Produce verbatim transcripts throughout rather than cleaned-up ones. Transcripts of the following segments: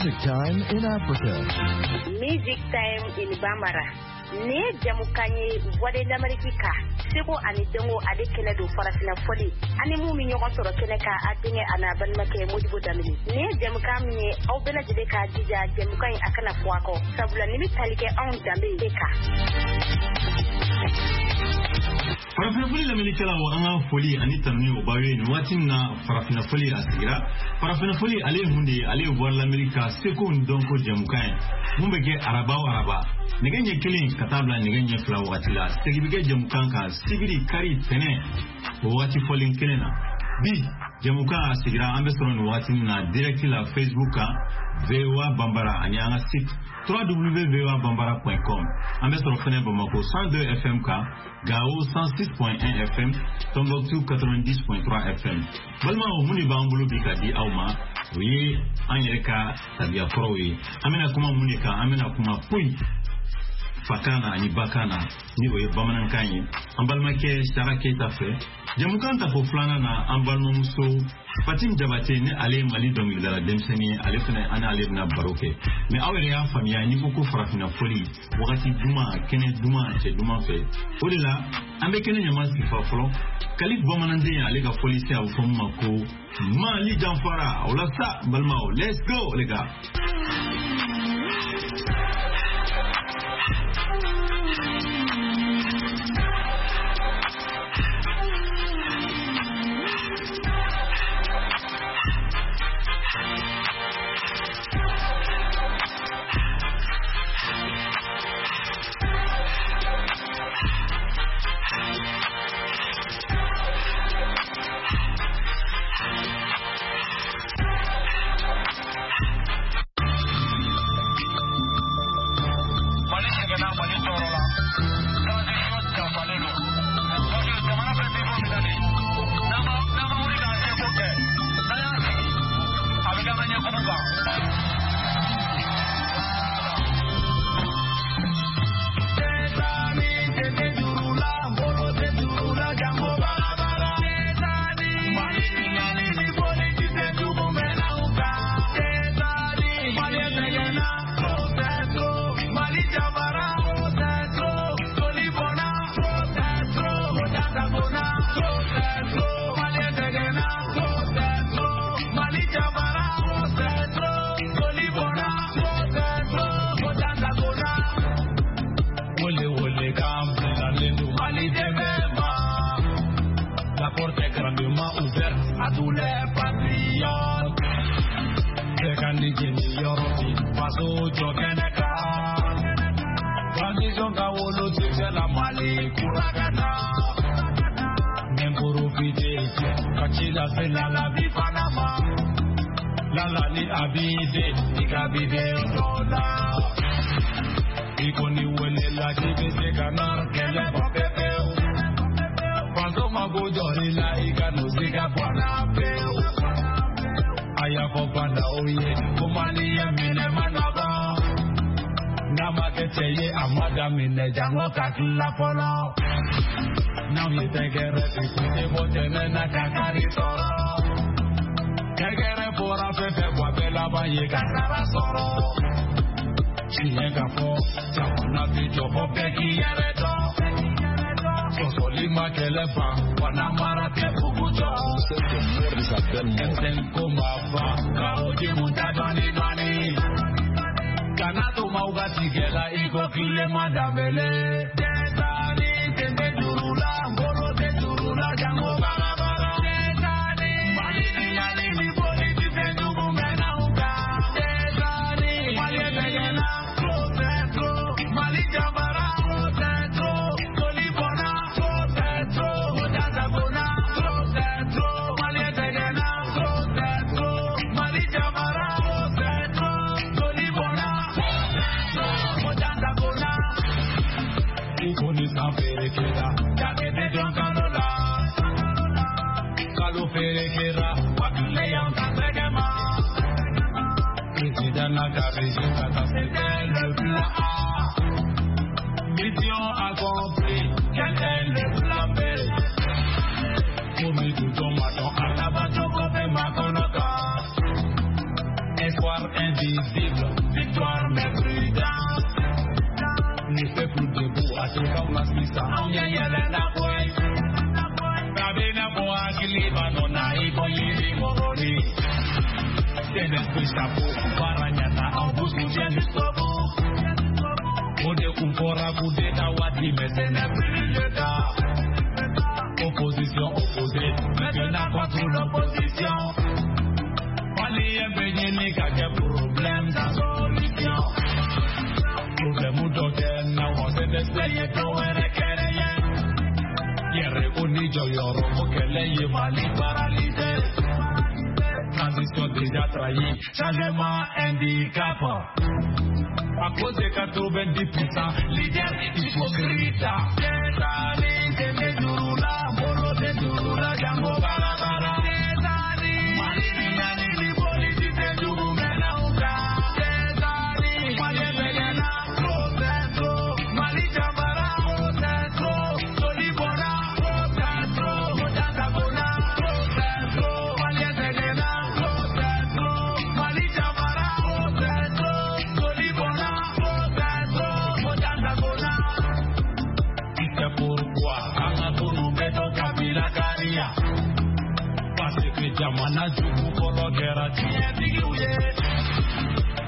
Music Time in Africa. Music Time in Bambara. Nin ye jamukan ye Voix de l'Amérique kan seko ani dɔnko ale kɛnɛ don farafinna fɔli ani mun bɛ ɲɔgɔn sɔrɔ kɛnɛ kan a denkɛ a n'a balimakɛ Modibo Danbele. Nin ye jamukan min ye aw bɛɛ lajɛlen k'a jija jamukan in a kana fɔ a kɔ sabula nin bɛ tali kɛ anw danbe de kan. Farafinna fɔli lamɛnnikɛlaw, an ka foli ani tanuni o b'aw ye nin waati min na. Farafinna fɔli a sigira. Farafinna fɔli ale ye mun de ye? Ale ye Voix de l'Amérique ka seko ni dɔnko jɛmukan ye mun bɛ kɛ araba o araba nɛgɛ ɲɛ kelen ka taa bila nɛgɛ ɲɛ fila wagati la. Segin bɛ kɛ jɛmukan kan sibiri, kari, tɛnɛ o wagati fɔlen kelen na. Bi jɛmukan a sigira, an bɛ sɔrɔ nin wagati min na direct la Facebook kan V O A Bambara ani an ka site w w w point voabambara point com. An bɛ sɔrɔ fɛnɛ Bamako cent deux F M kan, Gao cent six point un F M, Tombouctou quatre-vingt-dix point trois F M. Balimaw, mun de b'an bolo bi ka di aw ma? O ye an yɛrɛ ka tabiya kɔrɔw ye. An bɛna kuma mun de kan? An bɛna kuma poyi fakan na ani bakan na, ni o ye bamanankan ye, an balimakɛ Sara Keyita fɛ. Jamukan tako filanan na, an balimamuso Fatim Jabate, ni ale ye Mali dɔnkilidala denmisɛnnin ye, ale fɛnɛ an n'ale bɛna baro kɛ. Mɛ aw yɛrɛ y'a faamuya, n'i ko ko farafinna fɔli, wagati duman, kɛnɛ duman, cɛ duman fɛ, o de la an bɛ kɛnɛ ɲama sifa fɔlɔ. Kalif bamananden, ale ka fɔli se, a bɛ fɔ min ma ko Mali janfara. O la sa, balimaw, let's go les gars. Mali sɛgɛnna, Mali tɔɔrɔ la, transition dafalen don, parce que jamana bɛ niveau min na nin, n'an ma n'an ma wuli k'an seko kɛ, n'an y'an sigi, a bɛ k'an ka ɲɛkumu kan. Wele wele kan bilalen don Mali dɛmɛ ma. La porte est grandement ouverte à tous les patriotes. Bɛɛ ka ni jeni yɔrɔ bi faso jɔ kɛnɛ kan. Transition ka wolo succès la, Mali kura ka na. N profite ka ci lase Lalabi fana ma. Lala ni abide i ka bide dɔ la. I kɔni welela k'i bɛ se ka na kɛlɛ bɔ pepewu. Faso mako jɔr'i la, i ka n'o siga bɔ a la pewu. A y'a fɔ bandaw ye ko Mali ye minɛ ma nɔgɔ. N'a ma kɛ cɛ ye, a ma daminɛ jango ka tila fɔlɔ. N'anw ye tɛgɛrɛ fi, kun tɛ bɔ tɛnɛ na ka kari sɔrɔ. Tɛgɛrɛ fɔra fɛn fɛn, wa bɛɛ laban ye ka sara sɔrɔ. Tiɲɛ ka fɔ, jamana bɛ jɔ fɔ bɛɛ k'i yɛrɛ dɔn. Sɔsɔli ma kɛlɛ ban, wa namara tɛ bugu jɔ. M cinq ko ma ban, ka o jimu ta dɔɔni dɔɔni. Kana to maaw ka tigɛ la i ko Tilema Danbele. Dɛsani sen tɛ juru la, bolo tɛ juru la, jango barabara. Dɛsani Mali ni yanni ni politicien jugu mɛnna u kan. Dɛsani Mali sɛgɛnna, trop c'est trop. Mali jabara, trop c'est trop. Joli bɔnna, trop c'est trop. Jasagona, trop c'est trop. Mali sɛgɛnna, trop c'est trop. Mali jabara, trop c'est trop. Joli bɔnna, trop c'est trop. Jasagona. I ko ni san feere kɛra, jate tɛ dɔn kalo la. Kalo feere kɛra, wa tile y'an ta tɛgɛ ma. Président n'a ka régime ka taa, c'était le plan A. Mission accomplie, quel est le plan B? Komi dudon ma dɔn a laban cogo bɛ makɔnɔ kan. Espoir invisible. C N S P chapeau, baara ɲana, an vous soutient jusqu'au bout. O de kun fɔra coup d'état waati, mais ce n'est plus le cas. Opposition opposée, maintenant contre l'opposition. Malien bɛ ɲini ka kɛ problème sans solution. Problème dɔ kɛ na wa C N S P ye dɔ wɛrɛ kɛrɛ ye. Yɛrɛ ko ni jɔyɔrɔ ko kɛlɛ ye Mali paralysé. Transition déjà trahie, changement handicap. À cause de quatre-vingt-dix pour cent, leader hypocrite. Jamana jugu fɔlɔ kɛra tiɲɛtigiw ye.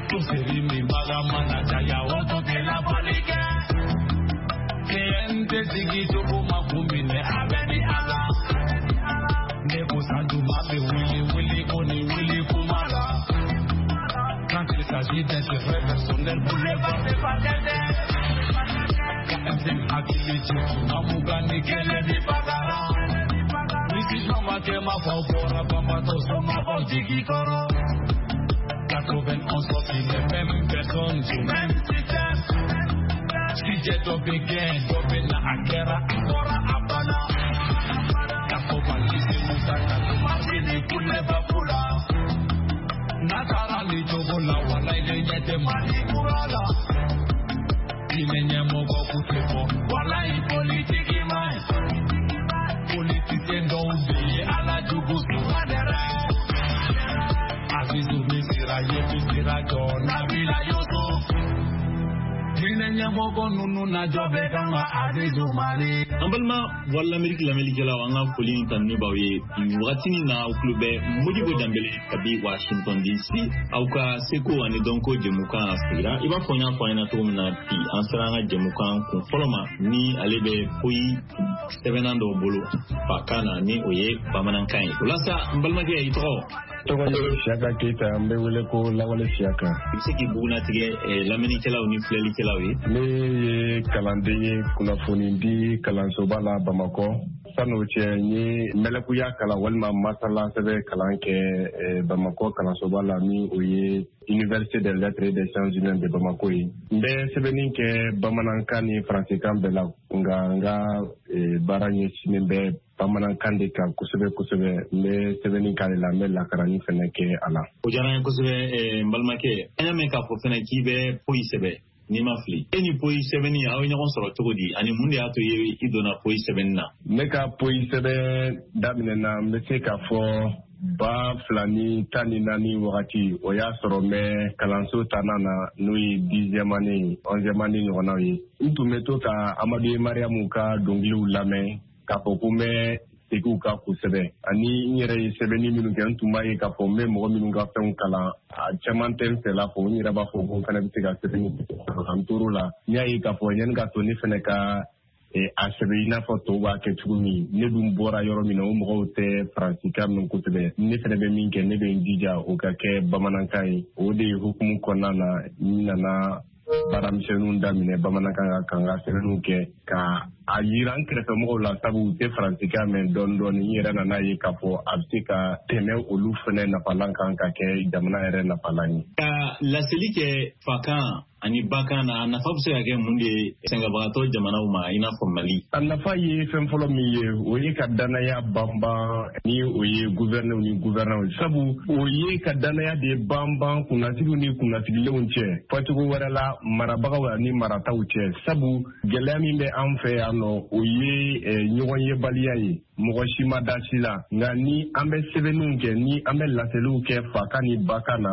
Toseri min baga mana caya o tun tɛ labɔli kɛ. C N T sigi cogo ma kun minɛ a bɛ ni ala. Ne ko Sanjuma bɛ wuli wuli ko ni wuli kuma la. Quand il s'agit d'intérêt personnel, boulevard de Fatɛnɛ. K M C hakili jigin na mugan ni kelen ni bagara. quatre-vingt-onze sorties, les mêmes personnes du même système. Si j'ai dɔ bɛ gɛn, dɔ bɛ na a kɛra a bɔra a banna. K'a fɔ Mali se Musa ka Masini kuleba kula. N'a taara nin cogo la, walayi ne ɲɛ tɛ Mali kura la. Diinɛ ɲɛmɔgɔ k'u tɛ bɔ, walayi politiki man ɲi. Politicien dɔw bɛ yen ala jugu suma dɛrɛ. Azizu min sera ye min sera jɔ Nabila Yusuf. Diinɛ ɲɛmɔgɔ ninnu na jɔ bɛ kan ka Azizu Mali. An balima Voix de l'Amérique lamɛnnikɛlaw, an ka foli ni tanuni b'aw ye nin wagati in na. Aw tulo bɛ Modibo Danbele kabi Washington D C, aw ka seko ani dɔnko jɛmukan sigira. I b'a fɔ n y'a fɔ an ɲɛna cogo min na, bi an sera an ka jɛmukan kun fɔlɔ ma, ni ale bɛ poyi sɛbɛnna dɔw bolo fakan na, ni o ye bamanankan ye. O la sa, n balimakɛ, i tɔgɔ? Tɔgɔ ye Siyaka Keyita, n bɛ wele ko Lawale Siyaka. I bɛ se k'i bugunnatigɛ lamɛnnikɛlaw ni filɛlikɛlaw ye? Ne ye kalanden ye kunnafoni di kalansoba la Bamakɔ. San'o cɛ, n ye mɛlɛkuya kalan walima masala sɛbɛn kalan kɛ Bamakɔ kalansoba la, min o ye Université des lettres et des sciences humaines de Bamako ye. N bɛ sɛbɛnni kɛ bamanankan ni faransikan bɛɛ la, nka n ka baara ɲɛsinnen bɛ bamanankan de kan kosɛbɛ kosɛbɛ. N bɛ sɛbɛnni k'ale la, n bɛ lakarani fɛnɛ kɛ a la. O diyara n ye kosɛbɛ, n balimakɛ. An y'a mɛn k'a fɔ fɛnɛ k'i bɛ poyi sɛbɛn, n'i ma fili. E ni poyi sɛbɛnni, aw ye ɲɔgɔn sɔrɔ cogo di, ani mun de y'a to i donna poyi sɛbɛnni na? Ne ka poyi sɛbɛn daminɛna, n bɛ se k'a fɔ ba fila ni tan ni naani wagati. O y'a sɔrɔ n bɛ kalanso tannan na, n'o ye dixième année, onzième année ɲɔgɔnnaw ye. N tun bɛ to ka Amadu Mariamu ka dɔnkiliw lamɛn k'a fɔ ko n bɛ segin u kan kosɛbɛ. Ani n yɛrɛ ye sɛbɛnni minnu kɛ, n tun b'a ye k'a fɔ n bɛ mɔgɔ minnu ka fɛnw kalan, a caman tɛ n fɛla fɔ. N yɛrɛ b'a fɔ ko n fana bɛ se ka sɛbɛnni kɛ. N tor'o la, n y'a ye k'a fɔ yanni ka to ne fana ka a sɛbɛn i n'a fɔ tɔw b'a kɛ cogo min, ne dun bɔra yɔrɔ min na, o mɔgɔw tɛ faransikan mɛn kosɛbɛ. Ne fana bɛ min kɛ, ne bɛ n jija o ka kɛ bamanankan ye. O de hukumu kɔnɔna na, n nana baaramisɛnninw daminɛ bamanankan kan, ka n ka sɛbɛnniw kɛ ka a yira n kɛrɛfɛmɔgɔw la, sabu u tɛ faransikan mɛn dɔɔni dɔɔni. N yɛrɛ nana ye k'a fɔ a bɛ se ka tɛmɛ olu fana nafalan kan ka kɛ jamana yɛrɛ nafalan ye. Ka laseli kɛ fakan ani bakan na, a nafa bɛ se ka kɛ mun de ye sɛgɛnbagatɔ jamanaw ma i n'a fɔ Mali? A nafa ye fɛn fɔlɔ min ye, o ye ka danaya banban, ni o ye gouverneur ni gouverneur ye. Sabu o ye ka danaya de banban kunnasigiw ni kunnasigilenw cɛ, fɔcogo wɛrɛ la marabagaw ani marataw cɛ. Sabu gɛlɛya min bɛ an fɛ yan nɔ, o ye ɲɔgɔn yebaliya ye. Mɔgɔ si ma da si la. Nka ni an bɛ sɛbɛnniw kɛ, ni an bɛ laseliw kɛ fakan ni bakan na,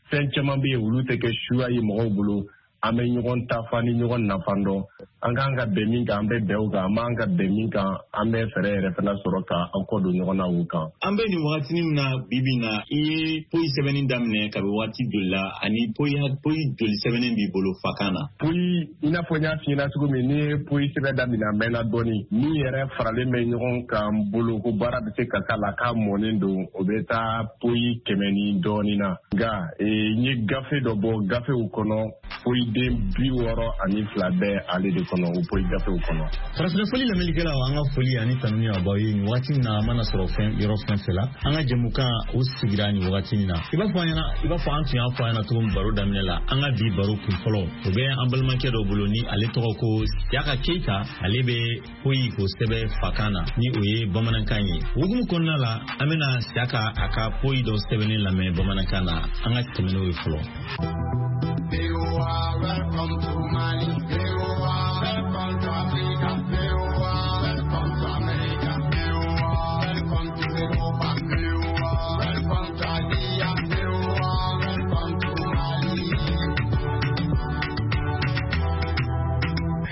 fɛn caman bɛ yen olu tɛ kɛ suya ye mɔgɔw bolo. An bɛ ɲɔgɔn tafa ni ɲɔgɔn nafa dɔn, An k'an ka bɛn min kan, an bɛ bɛn o kan. An b'an ka bɛn min kan, an bɛ fɛɛrɛ yɛrɛ fana sɔrɔ ka an kɔ don ɲɔgɔn na o kan. An bɛ nin wagatinin min na bi bi in na, i ye poyi sɛbɛnni daminɛ kabi waati joli la, ani poyi poyi joli sɛbɛnnen b'i bolo fakan na? Poyi, i n'a fɔ n y'a f'i ɲɛna cogo min, n'i ye poyi sɛbɛn daminɛ a mɛnna dɔɔni. Min yɛrɛ faralen bɛ ɲɔgɔn kan n bolo ko baara bɛ se ka k'a la k'a mɔnen don, o bɛ taa poyi kɛmɛ ni dɔɔni na. Nka n ye gafe dɔ bɔ, gafew kɔnɔ poyiden bi wɔɔrɔ ani fila bɛ ale de kɔnɔ, o poyi gafew kɔnɔ. Farafinna fɔli lamɛnnikɛlaw, an ka foli ani tanuni a b'aw ye nin waati in na. A mana sɔrɔ fɛn yɔrɔ fɛn fɛn la, an ka jɛmukan o sigira nin wagati in na. I b'a fɔ an ɲɛna, i b'a fɔ an tun y'a fɔ an ɲɛna cogo min baro daminɛ la, an ka bi baro kun fɔlɔ o bɛ an balimakɛ dɔ bolo ni ale tɔgɔ ko Siyaka Keyita. Ale bɛ poyi k'o sɛbɛn fakan na, ni o ye bamanankan ye. Hukumu kɔnɔna la, an bɛna Siyaka a ka poyi dɔ sɛbɛnnen lamɛn bamanankan na. An ka tɛmɛ n'o ye fɔlɔ. Welcome to Mali, welcome to Africa, welcome to America, welcome to Europa, welcome to Asia, welcome to Mali.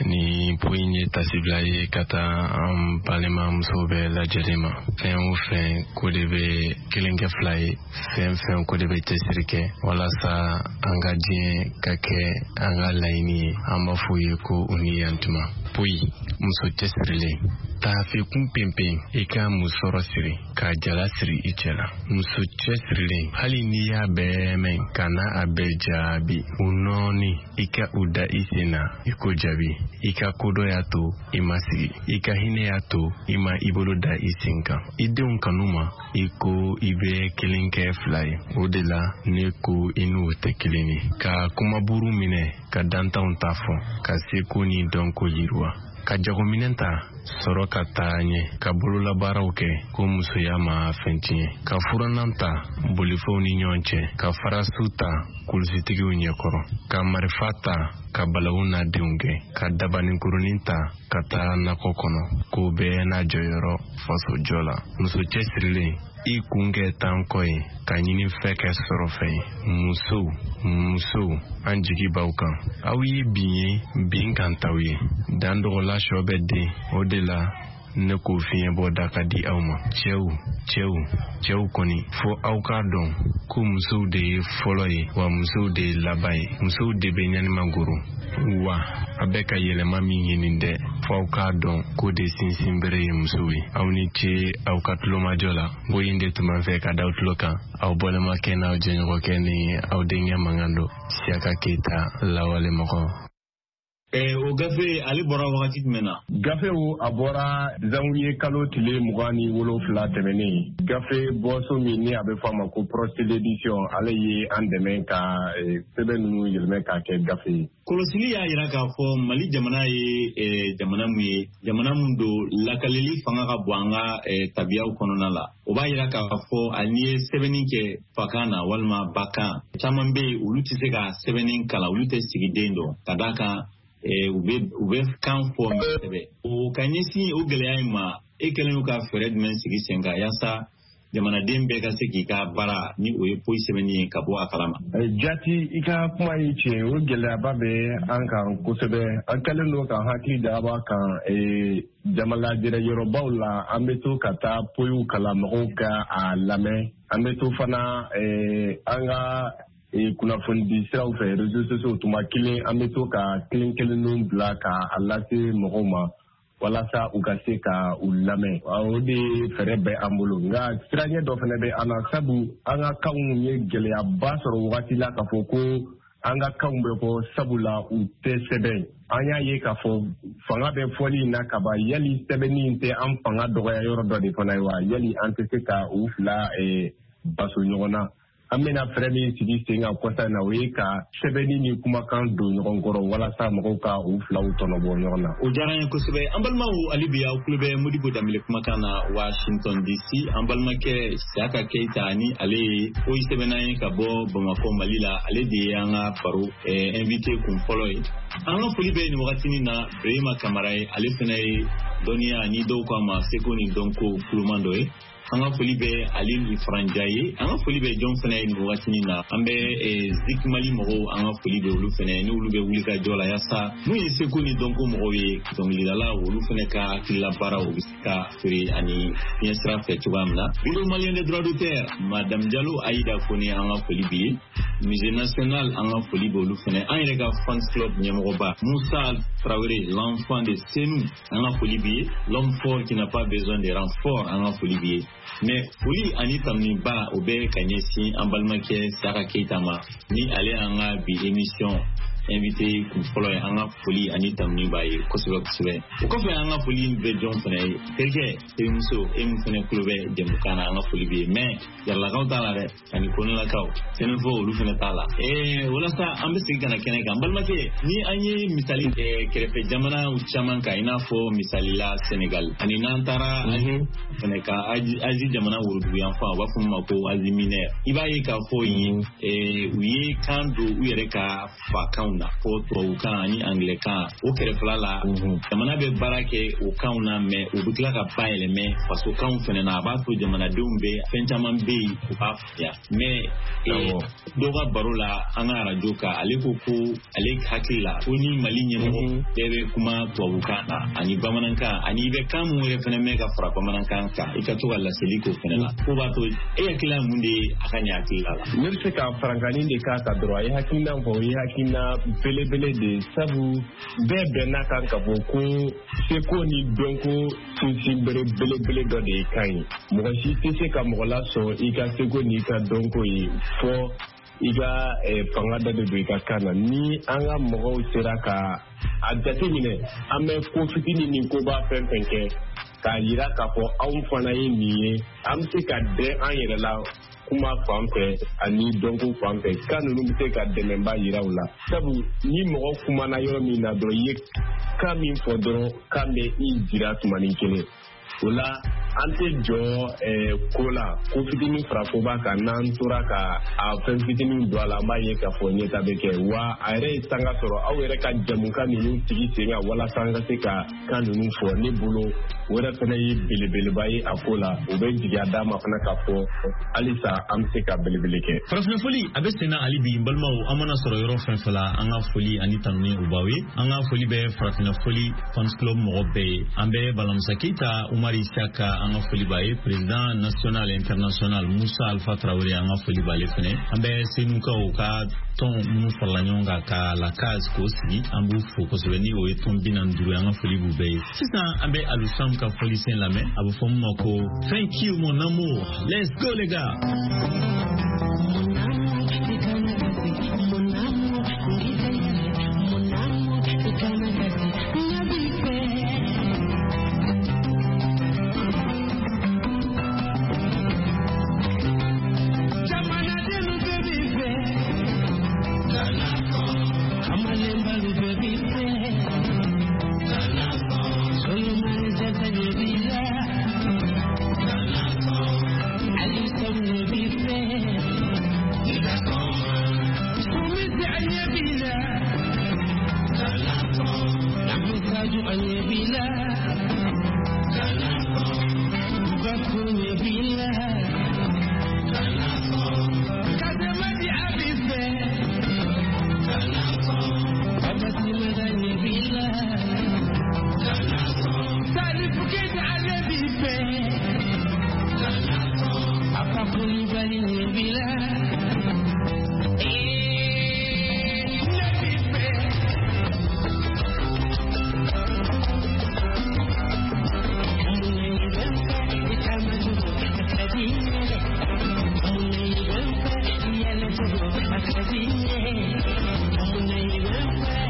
Ni poyi ye tasibila ye ka taa an balimamusow bɛɛ lajɛlen ma. Fɛn o fɛn ko de bɛ kelen kɛ fila ye, fɛn fɛn ko de bɛ cɛsiri kɛ walasa an ka diɲɛ ka kɛ an ka laɲini ye. An b'a fɔ ye ko u ni yantuma. Poyi, muso cɛsirilen, taafe kun penpen, i ka musɔrɔ siri ka jala siri i cɛ la. Muso cɛsirilen, hali n'i y'a bɛɛ mɛn, kana a bɛɛ jaabi. U nɔɔni, i ka u da i sen na i ko jaabi. I ka kodɔn y'a to i ma sigi, i ka hinɛ y'a to i ma i bolo da i sen kan. I denw kanu ma i ko i bɛ kelen kɛ fila ye. O de la ne ko i n'u tɛ kelen ye. Ka kumaburu minɛ ka dantanw ta fɔ, ka seko ni dɔnko yiriwa, ka jagominɛn ta sɔrɔ ka taa ɲɛ, ka bololabaaraw kɛ ko musoya ma fɛn tiɲɛ, ka furannan ta bolifɛnw ni ɲɔgɔn cɛ, ka farasu ta kulusitigiw ɲɛkɔrɔ, ka marifa ta ka balawu n'a denw kɛ, ka dabaninkurunin ta ka taa nakɔ kɔnɔ, ko bɛɛ n'a jɔyɔrɔ fasojɔ la. Muso cɛsirilen, i kun kɛ tan kɔ ye, ka ɲini fɛ kɛ sɔrɔ fɛn ye. Musow, musow, an jigi b'aw kan. Aw ye bin ye, bin kan t'aw ye. Dan dɔgɔla sɔ bɛ den, o de la ne ko fiɲɛ bɔ da ka di aw ma. Cɛw, cɛw, cɛw kɔni, fo aw k'a dɔn ko musow de ye fɔlɔ ye, wa musow de ye laban ye. Musow de bɛ ɲanima goro. Wa a bɛ ka yɛlɛma min ɲini dɛ, fo aw k'a dɔn ko de sinsinbere ye musow ye. Aw ni ce aw ka tulomajɔ la. Boyin de tun b'an fɛ ka da aw tulo kan. Aw balimakɛ n'aw jɛɲɔgɔnkɛ ni aw denkɛ mankan don, Siyaka Keyita, lawale mɔgɔ. Eh, o gafe ale bɔra wagati jumɛn na? Gafe o a bɔra zanwiye kalo tile mugan ni wolonfila tɛmɛnen. Gafe bɔso min ni a bɛ fɔ a ma ko Prostil Edition, ale ye an dɛmɛ ka sɛbɛn ninnu yɛlɛmɛ k'a kɛ gafe ye. Kɔlɔsili y'a yira k'a fɔ Mali jamana ye eh, jamana mun ye, jamana mun don lakaleli fanga ka bon an ka eh, tabiyaw kɔnɔna la. O b'a yira k'a fɔ hali n'i ye sɛbɛnni kɛ fakan na walima bakan, caman bɛ yen olu tɛ se ka sɛbɛnni kalan, olu tɛ sigiden dɔn ka d'a kan u bɛ u bɛ kan fɔ sɛbɛ. O ka ɲɛsin o gɛlɛya in ma, e kɛlen ka fɛɛrɛ jumɛn sigi sen kan yaasa jamanaden bɛɛ ka se k'i ka baara ni o ye poyi sɛbɛnni ye ka bɔ a kalama? Jati, i ka kuma ye tiɲɛ, o gɛlɛyaba bɛ an kan kosɛbɛ. An kɛlen don ka hakili jagabɔ kan jamalajɛrɛ yɔrɔbaw la, an bɛ to ka taa poyiw kalan mɔgɔw ka a lamɛn. An bɛ to fana an ka kunnafoni siraw fɛ, réseaux sociaux, tuma kelen an bɛ to ka kelen kelenninw bila ka a lase mɔgɔw ma walasa u ka se ka u lamɛn. O de fɛɛrɛ bɛ an bolo. Nka siranɲɛ dɔ fana bɛ an na, sabu an ka kanw ye gɛlɛyaba sɔrɔ wagati la k'a fɔ ko an ka kanw bɛ fɔ sabula u tɛ sɛbɛn. An y'a ye k'a fɔ fanga bɛ fɔli in na kaban, yali sɛbɛnni in tɛ an fanga dɔgɔya yɔrɔ dɔ de fana ye wa? Yali an tɛ se ka u fila baso ɲɔgɔn na? An bɛna fɛɛrɛ min sigi sen kan kɔsa in na, o ye ka sɛbɛnni ni kumakan don ɲɔgɔn kɔrɔ walasa mɔgɔw ka u filaw tɔnɔbɔ ɲɔgɔn na. O diyara n ye kosɛbɛ. An balimaw, hali bi aw tulo bɛ Modibo Danbele kumakan na Washington D C. An balimakɛ Siyaka Keyita ni ale ye poyi sɛbɛnna ye ka bɔ Bamakɔ, Mali la, ale de ye an ka baro invité kun fɔlɔ ye. An ka foli bɛ nin wagatinin na Brema Kamara ye, ale fana ye dɔnniya ni dɔw k'a ma seko ni dɔnko kuloman dɔ ye. An ka foli bɛ Ali Faranja ye, an ka foli bɛ jɔn fana ye nin wagatinin na. An bɛ Zik Mali mɔgɔw, an ka foli bɛ olu fana ye, n'olu bɛ wuli ka jɔ la yaasa mun ye seko ni dɔnko mɔgɔw ye, dɔnkilidala olu fana ka hakilila baaraw bɛ se ka feere ani fiɲɛ sira fɛ cogoya min na. Bureau malien des droits d'auteur, Madame Diallo Aïda Kone, an ka foli b'i ye. Musée national, an ka foli bɛ olu fana. An yɛrɛ ka fans club ɲɛmɔgɔba Moussa Traoré, l'enfant de Senou, an ka foli b'i ye. L'homme fort qui n'a pas besoin de renfort, an ka foli b'i ye. Mais foli ani tanuba o bɛ ka ɲɛsin an balimakɛ Saka Keita ma, ni ale y'an ka bi émission invité kun fɔlɔ ye. An ka foli ani tanuni b'a ye kosɛbɛ kosɛbɛ. O kɔfɛ an ka foli bɛ jɔn fana ye, terikɛ terimuso e min fana tulo bɛ jɛmukan na, an ka foli bɛ ye. Mais Jaralakaw t'a la dɛ, ani Konelakaw, Sɛnɛfɔ olu fana t'a la. Ee walasa an bɛ segin ka na kɛnɛ kan, balimakɛ, ni an ye misali kɛrɛfɛ jamanaw caman kan, i n'a fɔ misali la Senegal, ani n'an taara fana ka Asie jamana woroduguyanfan, u b'a fɔ min ma ko Asie mineure, i b'a ye k'a fɔ yen u ye kan don u yɛrɛ ka fakanw na, fɔ tubabukan ani anglais-kan. O kɛrɛfɛla la, jamana bɛ baara kɛ o kanw na, mais u bɛ tila ka bayɛlɛmɛ fasokanw fana na. A b'a to jamanadenw bɛ fɛn caman bɛ yen u b'a faamuya. Mais dɔw ka baro la an ka arajo kan, ale ko ko ale hakili la ko ni Mali ɲɛmɔgɔ bɛɛ bɛ kuma tubabukan na ani bamanankan, ani i bɛ kan mun yɛrɛ fana mɛn ka fara bamanankan kan, i ka to ka laseli k'o fana la, ko b'a to e hakilila mun de ye a ka ɲɛ hakilila la? Ne bɛ se ka farankanni de k'a kan dɔrɔn. A ye hakilina fɔ, o ye hakilina belebele de ye, sabu bɛɛ bɛnna kan ka fɔ ko seko ni dɔnko sinsin bere belebele dɔ de ye kan ye. Mɔgɔ si tɛ se ka mɔgɔ lasɔn i ka seko n'i ka dɔnko ye fɔ i ka fanga dɔ de don i ka kan na. Ni an ka mɔgɔw sera ka a jateminɛ, an bɛ ko fitinin ni koba fɛn fɛn kɛ k'a yira k'a fɔ anw fana ye nin ye, an bɛ se ka dɛn an yɛrɛ la kuma fan fɛ ani dɔnko fan fɛ. Kan ninnu bɛ se ka dɛmɛba yira u la, sabu ni mɔgɔ kumana yɔrɔ min na dɔrɔn, i ye kan min fɔ dɔrɔn, kan bɛ i jira tumanin kelen. O la an tɛ jɔ ko la, ko fitinin fara koba kan. N'an tora ka a fɛn fitinin don a la, an b'a ye k'a fɔ ɲɛta bɛ kɛ. Wa a yɛrɛ ye sanga sɔrɔ aw yɛrɛ ka jamukan ninnu sigi sen kan walasa an ka se ka kan ninnu fɔ. Ne bolo o yɛrɛ fana ye belebeleba ye a ko la. O bɛ jigiya d'a ma fana k'a fɔ halisa an bɛ se ka belebele kɛ. Farafinna foli a bɛ sen na hali bi, n balimaw, an mana sɔrɔ yɔrɔ fɛn fɛn la, an ka foli ani tanuni u b'aw ye. An ka foli bɛ Farafinna foli fans club mɔgɔ bɛɛ ye. An bɛ Balamusa Keita, Umar Isaka, an ka foli b'a ye. Président national international Moussa Alpha Traoré, an ka foli b'ale fɛnɛ. An bɛ Senukaw ka tɔn minnu farala ɲɔgɔn kan ka la case k'o sigi, an b'u fo kosɛbɛ, ni o ye tɔn bi naani duuru ye, an ka foli b'u bɛɛ ye. Sisan an bɛ Alusam ka fɔlisen lamɛn, a bɛ fɔ min ma ko Thank you mon amour. Let's go les gars. Welcome.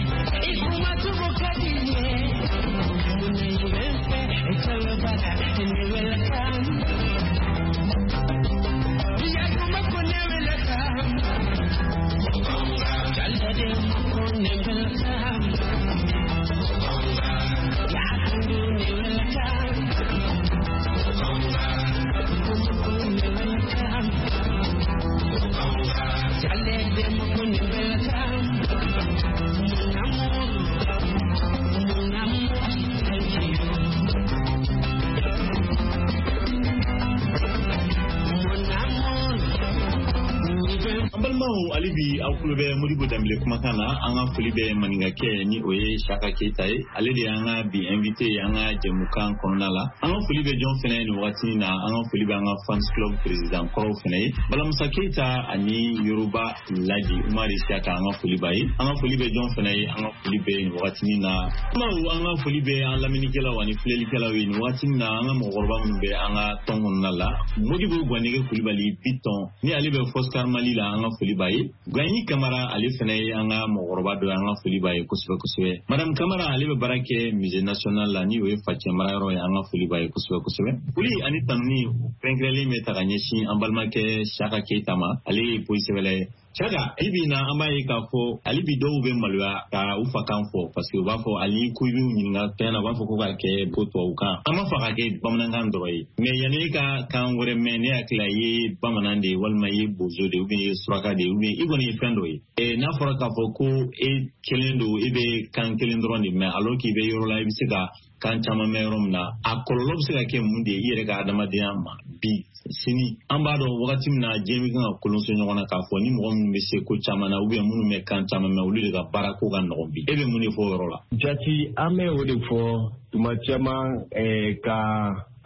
Balimaw, hali bi aw tulo bɛ Modibo Danbele kumakan na. An ka foli bɛ maninkakɛ ni o ye Saka Keyita ye, ale de y'an ka bi invité ye an ka jɛmukan kɔnɔna la. An ka foli bɛ jɔn fɛnɛ ye nin wagati in na? An ka foli bɛ an ka fans club président kɔrɔw fɛnɛ ye, Balamusa Keyita ani Yoruba Laji Umari Saka, an ka foli b'a ye. An ka foli bɛ jɔn fɛnɛ ye? An ka foli bɛ nin wagati in na, balimaw, an ka foli bɛ an lamɛnnikɛlaw ani filɛlikɛlaw ye nin wagati in na. An ka mɔgɔkɔrɔba minnu bɛ an ka tɔn kɔnɔna la, Modibo Gwanege Kulibali Bitɔn ni ale bɛ Foscar Mali la, an ka foli b'a ye. Gwanyi Kamara, ale fɛnɛ ye an ka mɔgɔkɔrɔba dɔ ye, an ka foli b'a ye kosɛbɛ kosɛbɛ. Madame Kamara, ale bɛ baara kɛ Musée national la, ni o ye facɛ marayɔrɔ ye, an ka foli b'a ye kosɛbɛ kosɛbɛ. Foli ani tanuni kɛrɛnkɛrɛnlen bɛ ta ka ɲɛsin an balimakɛ Saka Keyita ma, ale ye poyi sɛbɛla ye. Saka, bi bi in na, an b'a ye k'a fɔ hali bi dɔw bɛ maloya ka u fa kan fɔ, parce que u b'a fɔ hali ko i b'u ɲininka fɛn na, u b'a fɔ ko k'a kɛ ko tubabukan. An b'a fɔ k'a kɛ bamanankan dɔrɔn ye, mais yanni e ka kan wɛrɛ mɛn, ne hakili la i ye bamanan de ye, walima i ye bozo de ye, ou bien i ye suraka de ye, ou bien i kɔni ye fɛn dɔ ye. N'a fɔra k'a fɔ ko e kelen don, e bɛ kan kelen dɔrɔn de mɛn, alors k'i bɛ yɔrɔ la i bɛ se ka kan caman mɛn yɔrɔ min na, a kɔlɔlɔ bɛ se ka kɛ mun de ye i yɛrɛ ka adamadenya ma bi sini? An b'a dɔn wagati min na diɲɛ bɛ kan ka kolonso ɲɔgɔn na, k'a fɔ ni mɔgɔ minnu bɛ se ko caman na, ou bien minnu bɛ kan caman mɛn, olu de ka baara ko ka nɔgɔn bi. E bɛ mun de fɔ o yɔrɔ la? Jati, an bɛ o de fɔ tuma caman ka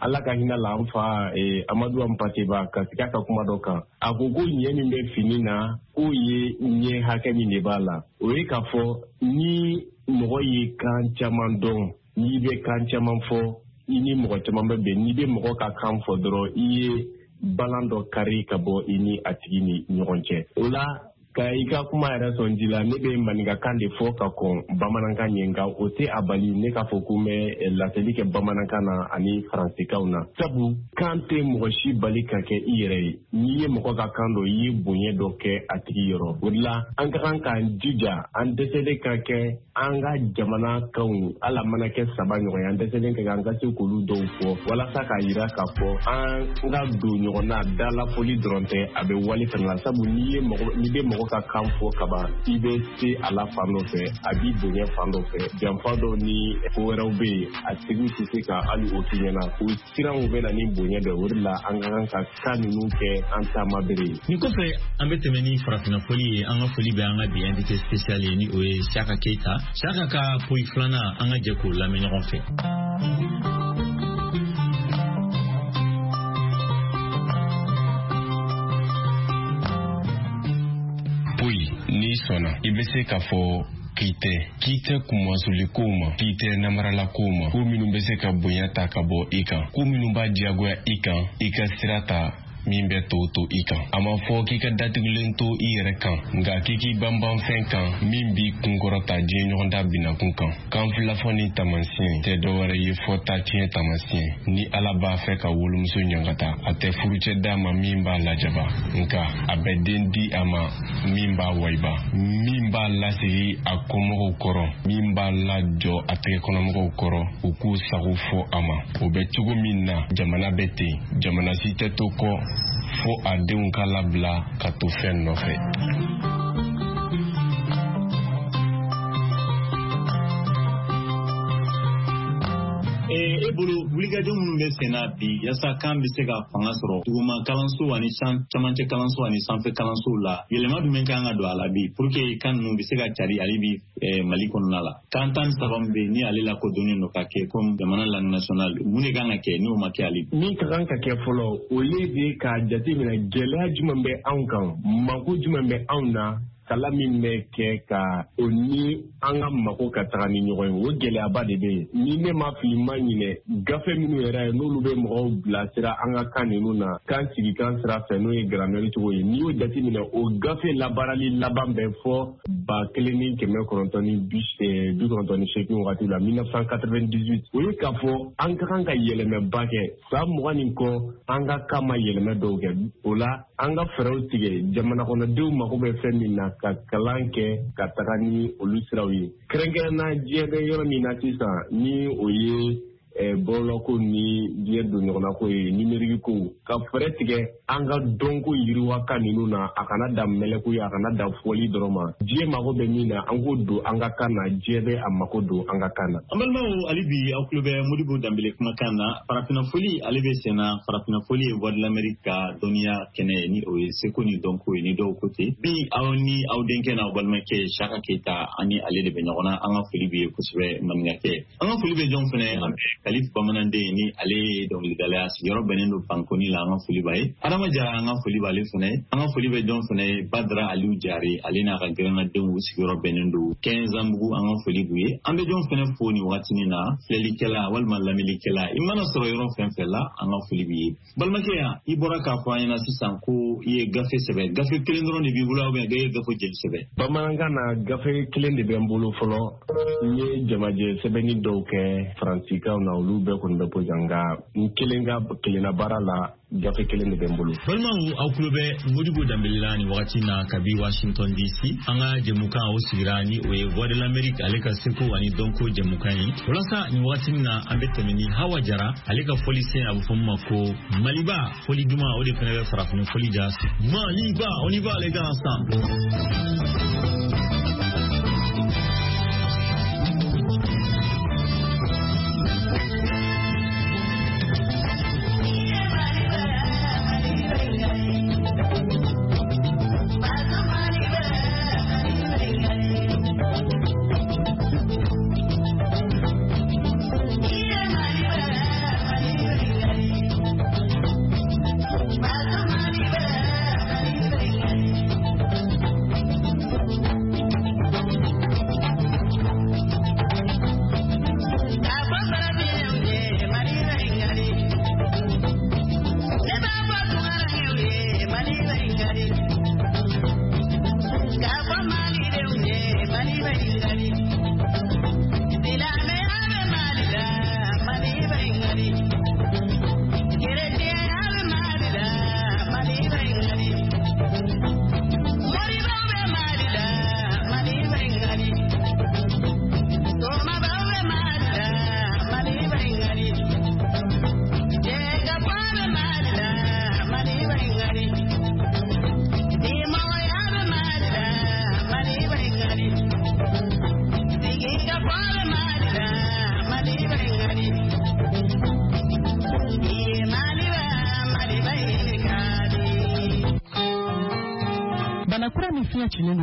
Ala ka hinɛ la an fa Amadu Hampâté Bâ ka sigi a ka kuma dɔ kan. A ko ko ɲɛ min bɛ fini na, k'o ye ɲɛ hakɛ min de b'a la. O ye k'a fɔ ni mɔgɔ ye kan caman dɔn, n'i bɛ kan caman fɔ, i ni mɔgɔ caman bɛ bɛn. N'i bɛ mɔgɔ ka kan fɔ dɔrɔn, i ye balan dɔ kari ka bɔ i ni a tigi ni ɲɔgɔn cɛ. O la, ka i ka kuma yɛrɛ sɔn ji la, ne bɛ maninkakan de fɔ ka kɔn bamanankan ɲɛ, nka o tɛ a bali ne k'a fɔ ko n bɛ laseli kɛ bamanankan na ani faransikanw na, sabu kan tɛ mɔgɔ si bali ka kɛ i yɛrɛ ye. N'i ye mɔgɔ ka kan dɔn, i ye bonya dɔ kɛ a tigi yɔrɔ. O de la, an ka kan k'an jija, an dɛsɛlen ka kɛ an ka jamana kanw, hali a mana kɛ saba ɲɔgɔn ye, an dɛsɛlen ka kɛ an ka se k'olu dɔw fɔ, walasa k'a yira k'a fɔ an ka don ɲɔgɔn na. Dalafoli dɔrɔn tɛ, a bɛ wale fana la, sabu n'i ye mɔgɔ n'i bɛ mɔgɔ ka kan fɔ kaban, i bɛ se a la fan dɔ fɛ, a b'i bonya fan dɔ fɛ. Janfa dɔw ni ko wɛrɛw bɛ yen, a tigiw tɛ se ka hali o f'i ɲɛna. O siranw bɛ na ni bonya dɔ ye. O de la, an ka kan ka kan ninnu kɛ an taama bere ye. Nin kɔfɛ, an bɛ tɛmɛ ni farafinna foli ye. An ka foli bɛ an ka bi invité spécial ye, ni o ye Saka Keyita. Saka ka poyi filanan, an ka jɛ k'o lamɛn ɲɔgɔn fɛ. Poyi, n'i sɔnna, i bɛ se k'a fɔ k'i tɛ k'i tɛ kunmasuli kow ma, k'i tɛ namarala kow ma, ko minnu bɛ se ka bonya ta ka bɔ i kan, ko minnu b'a diyagoya i kan i ka sira ta min bɛ to to i kan. A ma fɔ k'i ka datugulen to i yɛrɛ kan, nka k'i k'i banban fɛn kan min b'i kunkɔrɔta diɲɛ ɲɔgɔnda binakun kan. Kan filafɔ ni taamasiyɛn tɛ dɔwɛrɛ ye fɔ ta tiɲɛ taamasiyɛn. Ni Ala b'a fɛ ka wolomuso ɲangata, a tɛ furucɛ d'a ma min b'a lajaba, nka a bɛ den di a ma min b'a wayiba, min b'a lasigi a kɔmɔgɔw kɔrɔ, min b'a lajɔ a tɛgɛkɔnɔmɔgɔw kɔrɔ, u k'u sago fɔ a ma. O bɛ cogo min na, jamana bɛ ten, jamana si tɛ to kɔ fo a denw ka labila ka to fɛn nɔfɛ. E bolo, wulikajɔ minnu bɛ sen na bi yaasa kan bɛ se ka fanga sɔrɔ duguma kalanso ani camancɛ kalanso ani sanfɛ kalansow la, yɛlɛma jumɛn kan ka don a la bi pour que kan ninnu bɛ se ka cari hali bi Mali kɔnɔna la? Kan tan ni saba min bɛ yen ni ale lakodɔnnen don ka kɛ comme jamana langue nationale, mun de kan ka kɛ n'o ma kɛ hali bi? Min ka kan ka kɛ fɔlɔ, o ye de k'a jateminɛ gɛlɛya jumɛn bɛ anw kan, mako jumɛn bɛ anw na, kalan min bɛ kɛ ka o ni an ka mako ka taga ni ɲɔgɔn ye, o gɛlɛyaba de bɛ yen. Ni ne ma fili, ma ɲinɛ, gafe minnu yɛrɛ ye n'olu bɛ mɔgɔw bilasira an ka kan ninnu na, kan sigi kan sira fɛ, n'o ye grammaire cogo ye, n'i y'o jateminɛ, o gafe labaarali laban bɛ fɔ ba kelen ni kɛmɛ kɔnɔntɔn ni bi kɔnɔntɔn ni seegin wagati la, mille neuf cent quatre-vingt-dix-huit. O ye k'a fɔ an ka kan ka yɛlɛmɛba kɛ. San mugan nin kɔ, an ka kan ma yɛlɛmɛ dɔw kɛ. O la, an ka fɛɛrɛw tigɛ jamana kɔnɔdenw mako bɛ fɛn min na ka kalan kɛ ka taga ni olu siraw ye, kɛrɛnkɛrɛnna diɲɛ bɛ yɔrɔ min na sisan, ni o ye bɔlɔlɔko ni diɲɛ don ɲɔgɔnna ko ye, numérique ko, ka fɛɛrɛ tigɛ an ka dɔnko yiriwa kan ninnu na, a kana dan mɛlɛko ye, a kana dan fɔli dɔrɔn ma. Diɲɛ mago bɛ min na, an k'o don an ka kan na, diɲɛ bɛ a mako don an ka kan na. An balimaw, hali bi aw tulo bɛ Modibo Danbele kumakan na. Farafinna foli ale bɛ sen na. Farafinna foli ye Voix de l'Amérique ka dɔnniya kɛnɛ ye, ni o ye seko ni dɔnko ye, ni dɔw ko ten. Bi aw ni aw denkɛ n'aw balimakɛ Saka Keyita, ani ale de bɛ ɲɔgɔn na. An ka foli bɛ ye kosɛbɛ maninkakɛ. An ka foli bɛ jɔn fɛnɛ, an bɛ Kalif Bamananden, ni ale ye dɔnkilidala ye, a sigiyɔrɔ bɛnnen don Bankoni la, an ka foli b'a ye. Adama Jara, an ka foli b'ale fɛnɛ. An ka foli bɛ jɔn fɛnɛ, Badara Aliyu Jare, ale n'a ka gɛrɛnnadenw sigiyɔrɔ bɛnnen don Kɛnzanbugu, an ka foli b'u ye. An bɛ jɔn fɛnɛ fo nin wagatinin na, filɛlikɛla walima lamɛnnikɛla, i mana sɔrɔ yɔrɔ fɛn fɛn la, an ka foli b'i ye. Balimakɛ yan, i bɔra k'a fɔ an ɲɛna sisan ko i ye gafe sɛbɛn. Gafe kelen dɔrɔn de b'i bolo, ou bien i ye gafe jeli sɛbɛn? Bamanankan na, gafe kelen de bɛ n bolo fɔlɔ. N ye jamajɛ sɛbɛnni dɔw kɛ faransikanw na, olu bɛɛ kɔni bɛ bɔ yan, nka n kelen ka kelenna baara la, gafe kelen de bɛ n bolo. Balimaw, aw tulo bɛ Modibo Danbele la nin wagati na kabi Washington D C. An ka jɛmukan o sigira ni o ye Voix de l'Amérique ale ka seko ani dɔnko jɛmukan ye. Walasa nin wagati na, an bɛ tɛmɛ ni Hawa Jara ale ka fɔlisen, a bɛ fɔ min ma ko Maliba fɔli duman, o de fana bɛ farafin fɔli ja. Maliba, on y va les gars ensemble.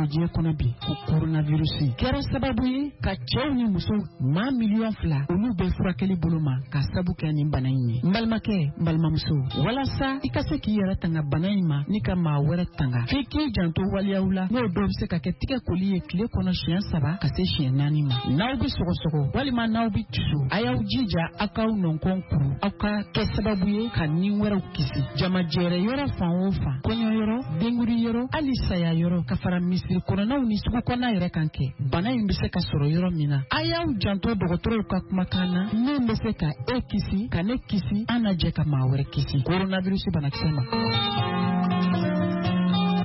Diɲɛ kɔnɔ bi, ko coronavirus kɛra sababu ye ka cɛw ni musow maa miliyɔn fila olu bɛ furakɛli bolo ma ka sabu kɛ nin bana in ye. N balimakɛ, n balimamuso, walasa i ka se k'i yɛrɛ tanga bana in ma ni ka maa wɛrɛ tanga, f'i k'i janto waleyaw la, n'o dɔw bɛ se ka kɛ tigɛ koli ye tile kɔnɔ siɲɛ saba ka se siɲɛ naani ma. N'aw bɛ sɔgɔsɔgɔ walima n'aw bɛ tiso, a y'aw jija aw k'aw nɔnkɔn kuru, aw ka kɛ sababu ye ka ni wɛrɛw kisi. Jamajɛrɛ yɔrɔ fan o fan, kɔɲɔyɔrɔ, denkuri yɔrɔ, hali saya yɔrɔ, ka fara misiri kɔnɔnaw ni sugu kɔnɔna yɛrɛ kan kɛ, bana in bɛ se ka sɔrɔ yɔrɔ min na. A y'aw janto dɔgɔtɔrɔw ka kumakan na, min bɛ se ka e kisi, ka ne kisi, an na jɛ ka maa wɛrɛ kisi coronavirus banakisɛ ma.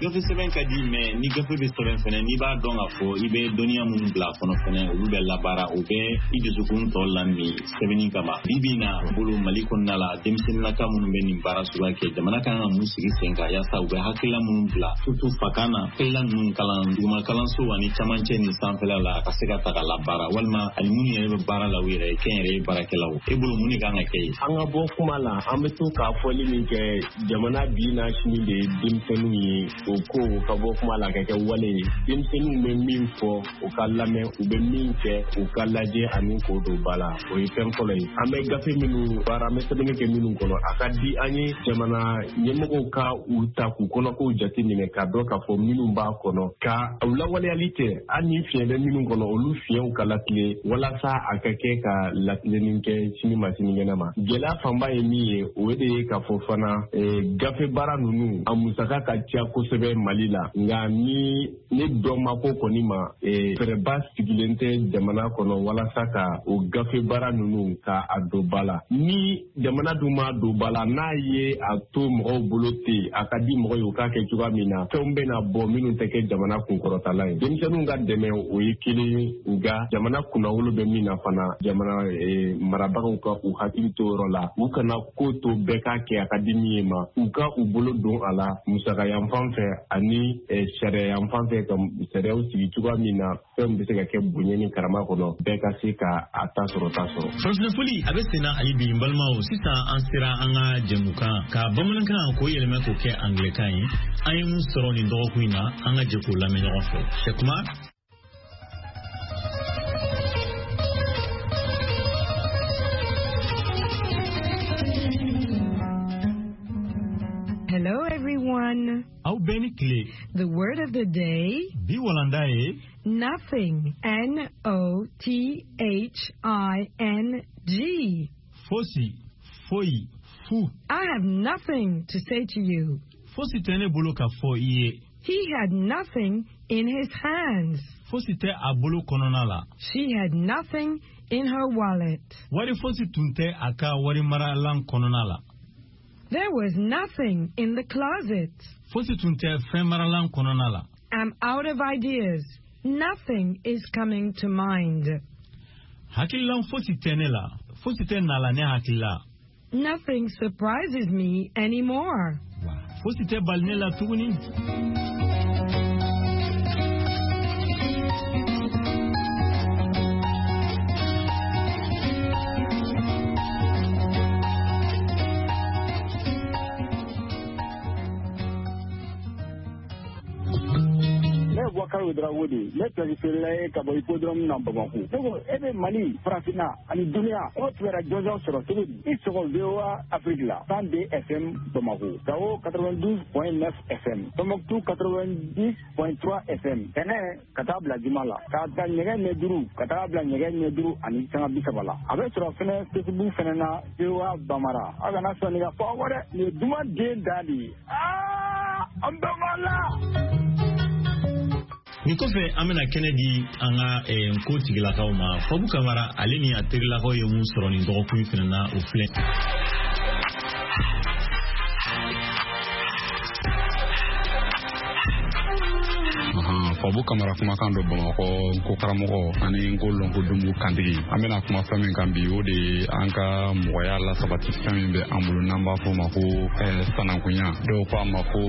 Gafe sɛbɛn ka di, mɛ ni gafe bɛ sɛbɛn fɛnɛ, n'i b'a dɔn k'a fɔ i bɛ dɔnniya minnu bila a kɔnɔ fɛnɛ, olu bɛ labaara, o bɛ i dusukun tɔ lami sɛbɛnni kama. Bi bi in na bolo Mali kɔnɔna la, denmisɛnninnaka minnu bɛ nin baara suguya kɛ, jamana kan ka mun sigi sen kan yaasa u bɛ hakilila minnu bila surtout fakan na, hakilila ninnu kalan duguma kalanso ani camancɛ ni sanfɛla la, a ka se ka ta ka labaara, walima ani minnu yɛrɛ bɛ baara la u yɛrɛ ye, kɛnyɛrɛye baarakɛlaw. E bolo mun de kan ka kɛ yen? An ka bɔ kuma la, an bɛ to k'a fɔli min kɛ, jamana bi n'a sini de ye denmisɛnninw ye. O ko ka bɔ kuma la ka kɛ wale ye. Denmisɛnninw bɛ min fɔ u ka lamɛn, u bɛ min kɛ u ka lajɛ ani k'o don ba la, o ye fɛn fɔlɔ ye. An bɛ gafe minnu baara, an bɛ sɛbɛnni kɛ minnu kɔnɔ, a ka di an ye jamana ɲɛmɔgɔw ka u ta k'u kɔnɔkow jateminɛ k'a dɔn k'a fɔ minnu b'a kɔnɔ, ka u lawaleyali tɛ, hali ni fiɲɛ bɛ minnu kɔnɔ, olu fiɲɛw ka latilen walasa a ka kɛ ka latilenni kɛ sini ma sinikɛnɛ ma. Gɛlɛya fanba ye min ye, o de ye k'a fɔ fana gafe baara ninnu a musaka ka ca kosɛbɛ. kosɛbɛ Mali la, nka ni ne dɔn ma ko kɔni ma, fɛɛrɛba sigilen tɛ jamana kɔnɔ walasa ka o gafe baara ninnu ka a don ba la. Ni jamana dun ma don ba la, n'a ye a to mɔgɔw bolo ten, a ka di mɔgɔ ye u k'a kɛ cogoya min na, fɛnw bɛna bɔ minnu tɛ kɛ jamana kunkɔrɔtala ye. Denmisɛnninw ka dɛmɛ, o ye kelen ye, nka jamana kunnawolo bɛ min na fana, jamana marabagaw ka u hakili to yɔrɔ la, u kana ko to bɛɛ k'a kɛ a ka di min ye ma, u ka u bolo don a la musaka yanfan fɛ ani sariya yanfan fɛ, ka sariyaw sigi cogoya min na fɛnw bɛ se ka kɛ bonya ni karama kɔnɔ, bɛɛ ka se ka a ta sɔrɔ ta sɔrɔ. Farafinafoli a bɛ senna hali bi. N balimaw, sisan an sera an ka jɛmukan ka bamanankan k'o yɛlɛmɛ k'o kɛ angilɛkan ye. An ye mun sɔrɔ nin dɔgɔkun in na, an ka jɛ k'o lamɛn ɲɔgɔn fɛ. Sɛkuma. Hello, everyone. Aw bɛɛ ni tile. The word of the day, Bi walanda ye nothing. N O T H I N G. Fosi, foyi, fu. I have nothing to say to you. Fosi tɛ ne bolo ka fɔ i ye. He had nothing in his hands. Fosi tɛ a bolo kɔnɔna la. She had nothing in her wallet. Wari fosi tun tɛ a ka warimaralan kɔnɔna la. There was nothing in the closet. Fosi tun tɛ fɛn maralan kɔnɔna la. I'm out of ideas. Nothing is coming to mind. Hakililan fosi tɛ ne la. Fosi tɛ na la ne hakili la. Nothing surprises me anymore. Fosi tɛ bali ne la tuguni. Ne ye Bubakari Ouedraogo de ye, ne pièce feerela ye ka bɔ hippodrome na Bamako. Ne ko e bɛ Mali, Farafinna ani duniya, o kibaruya jɔnjɔn sɔrɔ cogo di? I sɔgɔ V O A Afrique la, cent deux F M Bamako, Gao quatre-vingt-douze point neuf F M, Tombouctou quatre-vingt-dix point trois F M. Tɛnɛ ka taa bila juma la, k'a ta nɛgɛ ɲɛ duuru ka taa bila nɛgɛ ɲɛ duuru ani sanga bi saba la. A bɛ sɔrɔ fɛnɛ Facebook fɛnɛ na, V O A Bambara. Aw kana sɔn nin ka fɔ aw kɔ dɛ, nin ye duman den dan de ye. Aa, an bɛɛ b'a la. Nin kɔfɛ, an bɛna kɛnɛ di an ka nko tigilakaw ma. Fabu Kamara, ale ni a terilakaw ye mun sɔrɔ nin dɔgɔkun in fana na, o filɛ. Fabu Kamara kumakan dɔ Bamakɔ, nko karamɔgɔ ani nko lɔnko dunbu kantigi. An bɛna kuma fɛn min kan bi, o de ye an ka mɔgɔya lasabati fɛn min bɛ an bolo n'an b'a fɔ o ma ko sanankunya. Dɔw ko a ma ko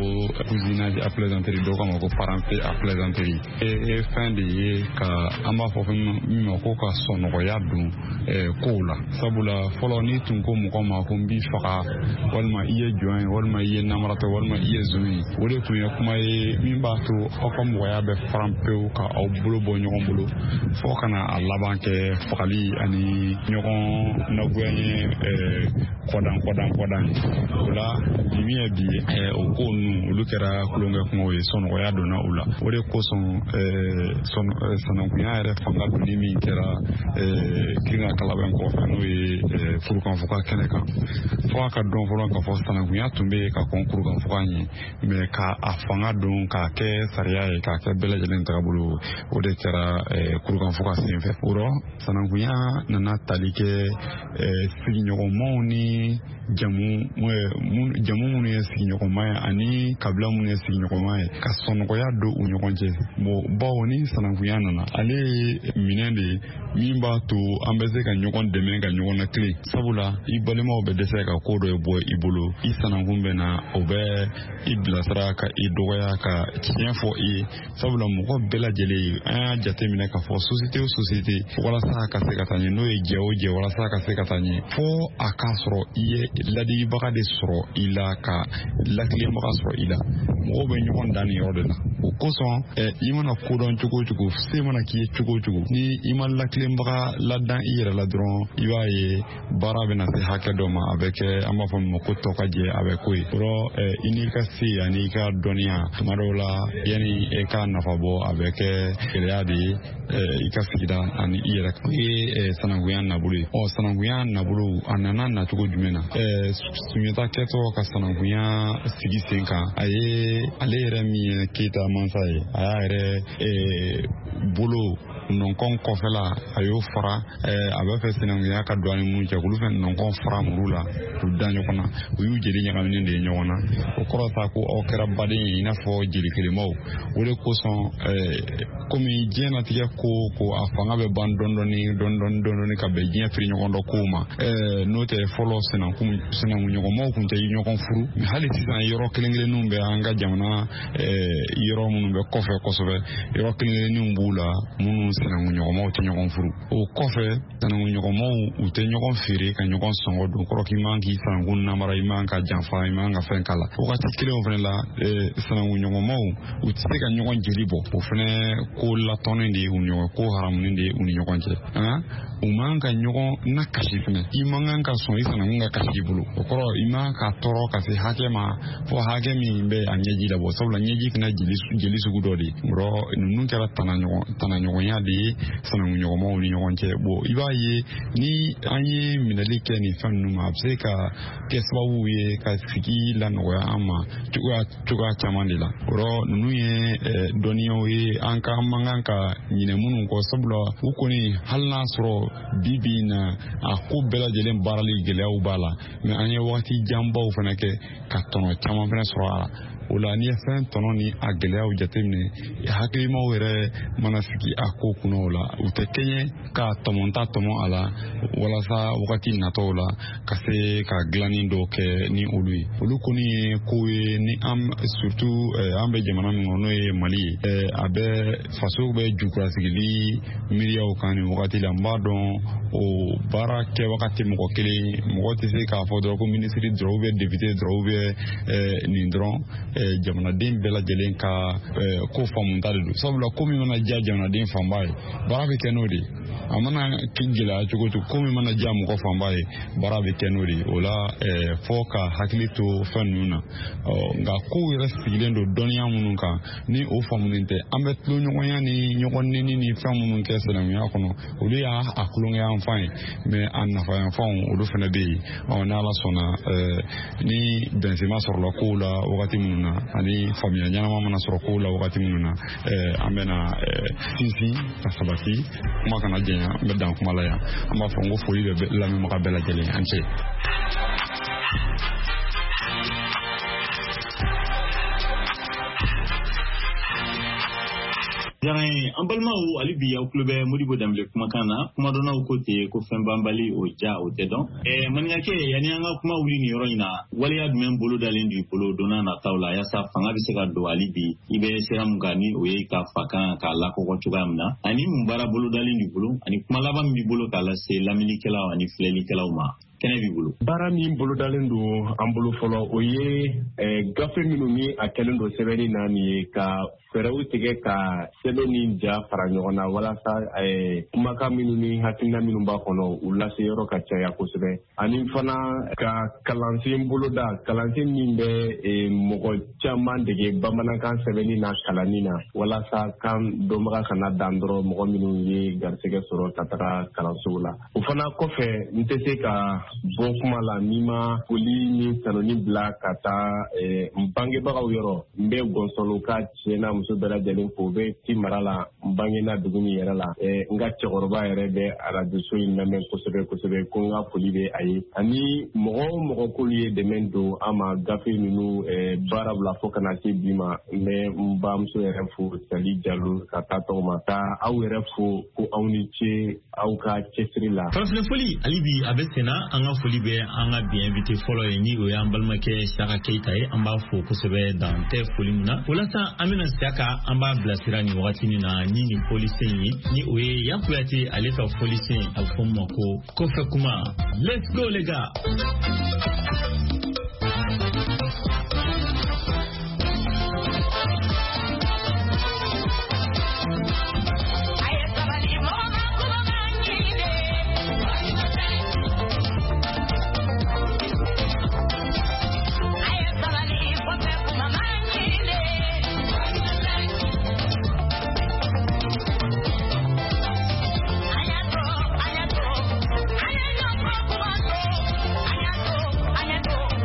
cousinage à plaisanterie, dɔw ko a ma ko parenté à plaisanterie. E fɛn de ye ka an b'a fɔ fɛn min ma ko ka sɔnɔgɔya don kow la. Sabula fɔlɔ, n'i tun ko mɔgɔ ma ko n b'i faga, walima i ye jɔn ye, walima i ye namaratɔ, walima i ye zon ye, o de tun ye kuma ye min b'a to aw ka mɔgɔya bɛ faran pewu ka aw bolo bɔ ɲɔgɔn bolo, fo ka na a laban kɛ fagali ani ɲɔgɔn nagoya ye, kɔdan kɔdan kɔdan ye. O la, bi min ye bi ye, o ko ninnu olu kɛra tulonkɛ kumaw ye, sɔnɔgɔya donna u la. O de kosɔn, sanankunya yɛrɛ fanga donni min kɛra Kirina Kalabɛn kɔfɛ, n'o ye kurukanfuga kɛnɛ kan, fo a ka dɔn fɔlɔ k'a fɔ sanankunya tun bɛ yen ka kɔn kurukanfuga ɲɛ, mɛ ka a fanga don k'a kɛ sariya ye, k'a kɛ bɛɛ lajɛlen tagabolo, o de kɛra kurukanfuga senfɛ. O rɔ, sanankunya nana tali kɛ sigiɲɔgɔnmaw ni jamu jamu minnu ye sigiɲɔgɔnma ye ani kabila minnu ye sigiɲɔgɔnma ye, ka sɔnɔgɔya don u ɲɔgɔn cɛ. Bon, bawo ni sanankunya nana, ale ye minɛn de ye min b'a to an bɛ se ka ɲɔgɔn dɛmɛ ka ɲɔgɔn lakile. Sabula i balimaw bɛ dɛsɛ ka ko dɔ bɔ i bolo, i sanankun bɛ na, o bɛ i bilasira ka i dɔgɔya ka tiɲɛ fɔ i ye. Sabula mɔgɔ bɛɛ lajɛlen, an y'a jateminɛ k'a fɔ société o société, walasa ka se ka taa ɲɛ, n'o ye jɛ o jɛ, walasa ka se ka taa ɲɛ, fo a k'a sɔrɔ i ye ladilibaga de sɔrɔ i la, ka lakilenbaga sɔrɔ i la. Mɔgɔw bɛ ɲɔgɔn dan nin yɔrɔ de la. O kosɔn, i mana kodɔn cogo o cogo, se mana k'i ye cogo o cogo, ni i ma lakilenbaga ladan i yɛrɛ la dɔrɔn, i b'a ye baara bɛna se hakɛ dɔ ma, a bɛ kɛ an b'a fɔ min ma ko tɔ ka jɛ, a bɛ ko ye. O rɔ, i n'i ka se ani i ka dɔnniya, tuma dɔw la, yanni e ka nafa bɔ, a bɛ kɛ gɛlɛya de ye i ka sigida ani i yɛrɛ. O ye sanankunya nabolo ye. Ɔ, sanankunya nabolo a nana nacogo jumɛn na? Sunjata kɛtɔ ka sanankunya sigi sen kan, a ye ye ale yɛrɛ min ye Keyita mansa ye, a y'a yɛrɛ bolo nɔnkɔn kɔfɛla a y'o fara, a b'a fɛ sinankunya ka don ani minnu cɛ, k'olu fɛnɛ nɔnkɔn fara muru la k'u da ɲɔgɔn na, u y'u jeli ɲagaminen de ye ɲɔgɔn na. O kɔrɔ sa ko aw kɛra baden ye i n'a fɔ jeli kelenmaw. O de kosɔn komi diɲɛnatigɛ ko ko a fanga bɛ ban dɔɔni dɔɔni dɔɔni dɔɔni ka bɛn diɲɛ firi ɲɔgɔn dɔ kow ma. N'o tɛ fɔlɔ sinankun sinankunɲɔgɔnmaw tun tɛ ɲɔgɔn furu, hali sisan yɔrɔ kelen kelenninw bɛ an ka jamana yɔrɔ minnu bɛ kɔfɛ kosɛbɛ, yɔrɔ kelen kelenninw b'u la minnu sinankunɲɔgɔnmaw tɛ ɲɔgɔn furu. O kɔfɛ sinankunɲɔgɔnmaw u tɛ ɲɔgɔn feere ka ɲɔgɔn sɔngɔ don, kɔrɔ k'i man k'i sinankun namara, i man ka janfa, i man ka fɛn k'a la. Wagati kelenw fana la, sinankunɲɔgɔnmaw u tɛ se ka ɲɔgɔn jeli bɔ, o fana ko latɔnnen de ye u ni ɲɔgɔn, ko haramunen de ye u ni ɲɔgɔn cɛ. U man ka ɲɔgɔn na kasi fana, i man kan ka sɔn i sinankun ka kasi i bolo, o kɔrɔ i man ka tɔɔrɔ ka se hakɛ ma fo hakɛ min bɛ a ɲɛji labɔ, sabula ɲɛji fana jeli jeli sugu dɔ de ye. Yɔrɔ ninnu kɛra tana ɲɔgɔn tanaɲɔgɔnya de ye sinankunɲɔgɔnmaw ni ɲɔgɔn cɛ. Bon, i b'a ye ni an ye minɛli kɛ nin fɛn ninnu ma, a bɛ se ka kɛ sababu ye ka sigi lanɔgɔya an ma cogoya cogoya caman de la. O yɔrɔ ninnu ye dɔnniyaw ye an ka man kan ka ɲinɛ minnu kɔ, sabula u kɔni hali n'a sɔrɔ bi bi in na a ko bɛɛ lajɛlen baarali gɛlɛyaw b'a la, mɛ an ye wagati janbaw fana kɛ ka tɔnɔ caman fana sɔrɔ a la. O la n'i ye fɛn tɔnɔ ni a gɛlɛyaw jateminɛ, hakilimaw yɛrɛ mana sigi a ko kunna o la, u tɛ kɛɲɛ ka tɔmɔta tɔmɔ a la walasa wagati natɔw la ka se ka dilanni dɔw kɛ ni olu ye. Olu kɔni ye kow ye ni an surtout an bɛ jamana min kɔnɔ n'o ye Mali ye, a bɛ faso bɛ jukurasigili miiriyaw kan nin wagati la. N b'a dɔn o baara kɛwaga tɛ mɔgɔ kelen, mɔgɔ tɛ se k'a fɔ dɔrɔn ko minisiri dɔrɔn ou bien député dɔrɔn ou bien nin dɔrɔn, jamanaden bɛɛ lajɛlen ka ko faamuta de don. Sabula ko min mana diya jamanaden fanba ye, baara bɛ kɛ n'o de ye. A mana gɛlɛya cogo cogo, ko min mana diya mɔgɔ fanba ye, baara bɛ kɛ n'o de ye. O la fɔ ka hakili to fɛn ninnu na. Nka kow yɛrɛ sigilen don dɔnniya minnu kan, ni o faamunen tɛ, an bɛ tulonɲɔgɔnya ni ɲɔgɔn neni ni fɛn minnu kɛ sinankunya kɔnɔ, olu y'a a tulonkɛyanfan ye, mɛ a nafayanfanw olu fana bɛ yen. Ɔ n'Ala sɔnna, ni bɛnsenma sɔrɔla kow la wagati minnu na, ani faamuya ɲɛnama mana sɔrɔ kow la wagati minnu na, an bɛna sinsin ka sabati, kuma kana janya, n bɛ dan kuma la yan. An b'a fɔ n ko foli bɛ lamɛnbaga bɛɛ lajɛlen, an cɛ. Diyara n ye. An balimaw, hali bi aw tulo bɛ Modibo Danbele kumakan na. Kumadɔnnaw ko ten ko fɛn banbali o ja o tɛ dɔn. Ɛɛ maninkakɛ, yanni an ka kuma wuli nin yɔrɔ in na, waleya jumɛn bolo dalen don i bolo don n'a nataw la yaasa fanga bɛ se ka don hali bi i bɛ sira mun kan, ni o ye ka fakan k'a lakɔkɔ cogoya min na, ani mun baara bolo dalen b'i bolo, ani kuma laban min b'i bolo k'a lase lamɛnnikɛlaw ani filɛlikɛlaw ma? Kɛnɛ b'i bolo. Baara min bolodalen don an bolo fɔlɔ, o ye gafe minnu ni a kɛlen don sɛbɛnni na nin ye, ka fɛɛrɛw tigɛ ka sɛbɛn ni ja fara ɲɔgɔn na walasa kumakan minnu ni hakilina minnu b'a kɔnɔ u lase yɔrɔ ka caya kosɛbɛ. Ani fana ka kalansen boloda, kalansen min bɛ mɔgɔ caman dege bamanankan sɛbɛnni na kalanni na, walasa kan dɔnbaga kana dan dɔrɔn mɔgɔ minnu ye garisɛgɛ sɔrɔ ka taga kalansow la. O fana kɔfɛ, n tɛ se ka bɔ kuma la n'i ma foli ni tanuni bila ka taa n bangebagaw yɔrɔ. N bɛ Gɔnsɔnlo ka cɛ n'a muso bɛɛ lajɛlen fo, u bɛ ci mara la, n bangena dugu min yɛrɛ la. N ka cɛkɔrɔba yɛrɛ bɛ arajoso in lamɛn kosɛbɛ kosɛbɛ, ko n ka foli bɛ a ye. Ani mɔgɔ o mɔgɔ k'olu ye dɛmɛ don an ma gafe ninnu baara bila fo ka na se bi ma, n bɛ n bamuso yɛrɛ fo, Sali Jalo, ka taa tɔgɔ ma, ka aw yɛrɛ fo ko aw ni ce aw ka cɛsiri la. Farafinna foli hali bi a bɛ sen na. An ka foli bɛ an ka bi invité fɔlɔ ye, ni o y'an balimakɛ Siyaka Keyita ye. An b'a fo kosɛbɛ, dan tɛ foli min na. O la sa, an bɛna Siyaka, an b'a bilasira nin wagati nin na ni nin folisen ye, ni o ye Yan Kuyate ale ka folisen, a bɛ fɔ min ma ko kɔfɛ kuma. Let's go les gars. I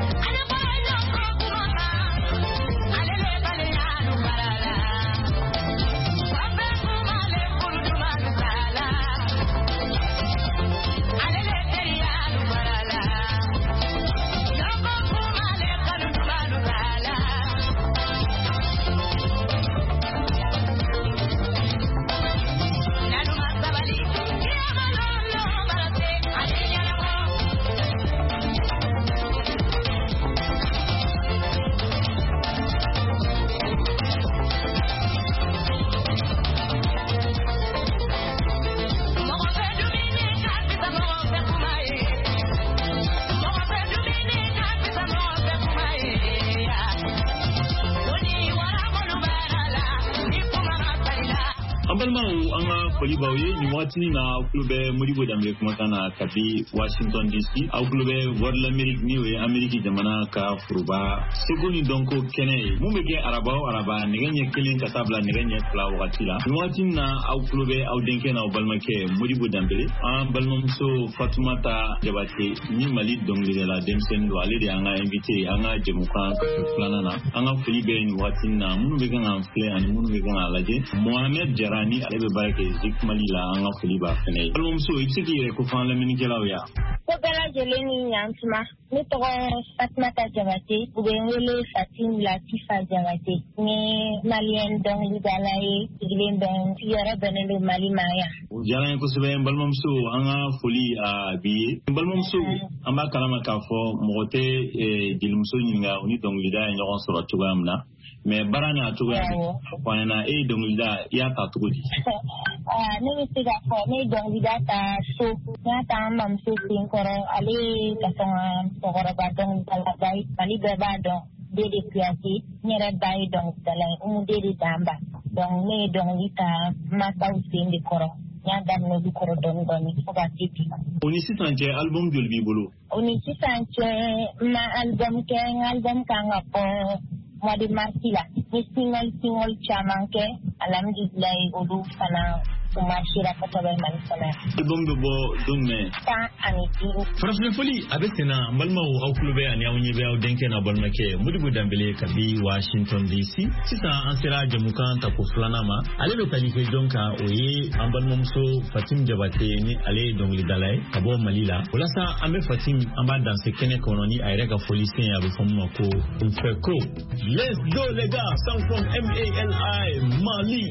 Foli b'aw ye nin waati na aw tulo bɛ Modibo Danbele kumakan na kabi Washington D C. Aw tulo bɛ Voix de l'Amérique ni o ye Amérique jamana ka foroba seko ni dɔnko kɛnɛ ye mun bɛ kɛ araba o araba nɛgɛ ɲɛ kelen ka taa bila nɛgɛ ɲɛ fila wagati la. Nin waati na aw tulo bɛ aw denkɛ n'aw balimakɛ Modibo Danbele, an balimamuso Fatumata Jabate ni Mali dɔnkilidala denmisɛnnin don, ale de y'an ka invité ye an ka jɛmukan filanan na. An ka foli bɛ nin waati na minnu bɛ kan k'an filɛ ani minnu bɛ kan k'a lajɛ. Mohamed Jara ni ale bɛ baara kɛ Zik Mali la, an ka foli b'a fɛnɛ ye. Balimamuso, i bɛ se k'i yɛrɛ kofɔ an lamɛnnikɛlaw ye? Ko bɛɛ lajɛlen ni ɲantuma. Ne tɔgɔ Fatumata Jabate, u bɛ n wele Fatim Latifa Jabate. N ye maliyɛn dɔnkilidala ye, sigilen bɛ n sigiyɔrɔ bɛnnen don Mali ma yan. O diyara n ye kosɛbɛ n balimamuso, an ka foli a b'i ye. N balimamuso, an b'a kalama k'a fɔ mɔgɔ tɛ jelimuso ɲininka o ni dɔnkilida ye ɲɔgɔn sɔrɔ cogoya min na. Mais baara n'a cogoya fɔ an ɲɛna, e ye dɔnkilida i y'a ta cogo di? Ne bɛ se k'a fɔ ne ye dɔnkilida ta so, n y'a ta an mamuso sen kɔrɔ, ale ye ka sɔn ka musokɔrɔba dɔnkilidalaba ye, Mali bɛɛ b'a dɔn, Dede Kuyate, n yɛrɛ ba ye dɔnkilidala ye, Umu Dede Danba. Donc ne ye dɔnkili ta masaw sen de kɔrɔ, n y'a daminɛ olu kɔrɔ dɔɔni dɔɔni fo ka se bi ma. O ni sisan cɛ album joli b'i bolo? O ni sisan cɛ n ma album kɛ, n ka album kan ka bɔ mois de mars la. Ni single single caman kɛ, alhamdulilayi olu fana u marchera kosɛbɛ Mali kɔnɔ yan. Album bɛ bɔ don jumɛn? Tan ani duuru. Farafinna foli a bɛ sen na, n balimaw, aw tulo bɛ ani aw ɲɛ bɛ aw denkɛ n'aw balimakɛ Modibo Danbele kabi Washington D C. Sisan an sera jɛmukan tako filanan ma, ale bɛ tali kɛ jɔn kan, o ye an balimamuso Fatim Jabate ni ale ye dɔnkilidala ye ka bɔ Mali la. O la sa an bɛ Fatim an b'a danse kɛnɛ kɔnɔ ni a yɛrɛ ka foli sen ye, a bɛ fɔ min ma ko Nfɛko. Let's go les gars, sound from M A L I Mali.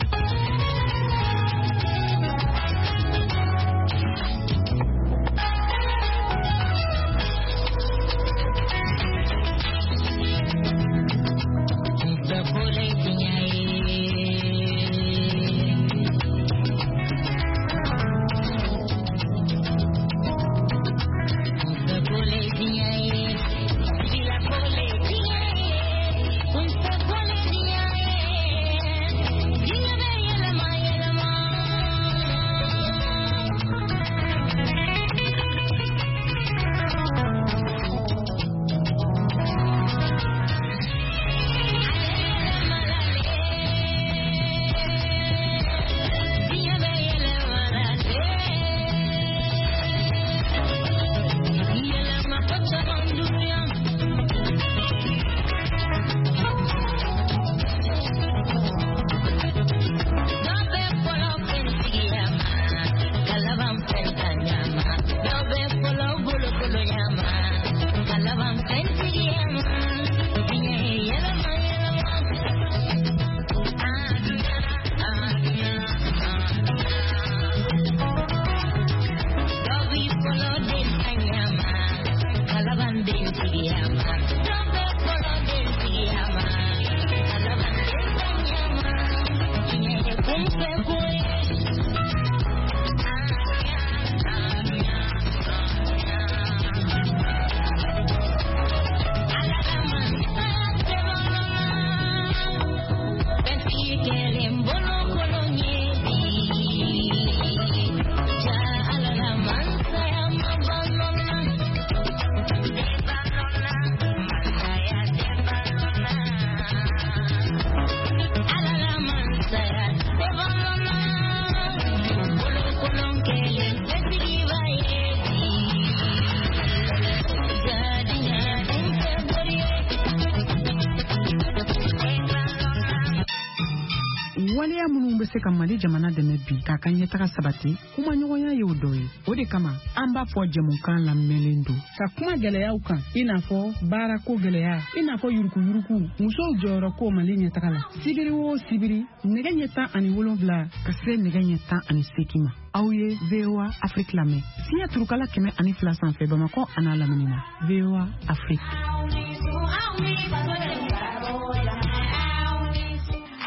Waleya minnu bɛ se ka Mali jamana dɛmɛ bi k'a ka ɲɛtaga sabati, kumaɲɔgɔnya y'o dɔ ye. O de kama an b'a fɔ jɛmukan lamɛnlen don ka kuma gɛlɛyaw kan, i n'a fɔ baarako gɛlɛya, i n'a fɔ yurukuyuruku, musow jɔyɔrɔ ko Mali ɲɛtaga la. Sibiri o sibiri nɛgɛ ɲɛ tan ani wolonwula ka se nɛgɛ ɲɛ tan ani seegin ma. Aw ye V O A Afrique lamɛn fiɲɛ turukala kɛmɛ ani fila sanfɛ Bamakɔ an'a lamini na. V O A Afrique.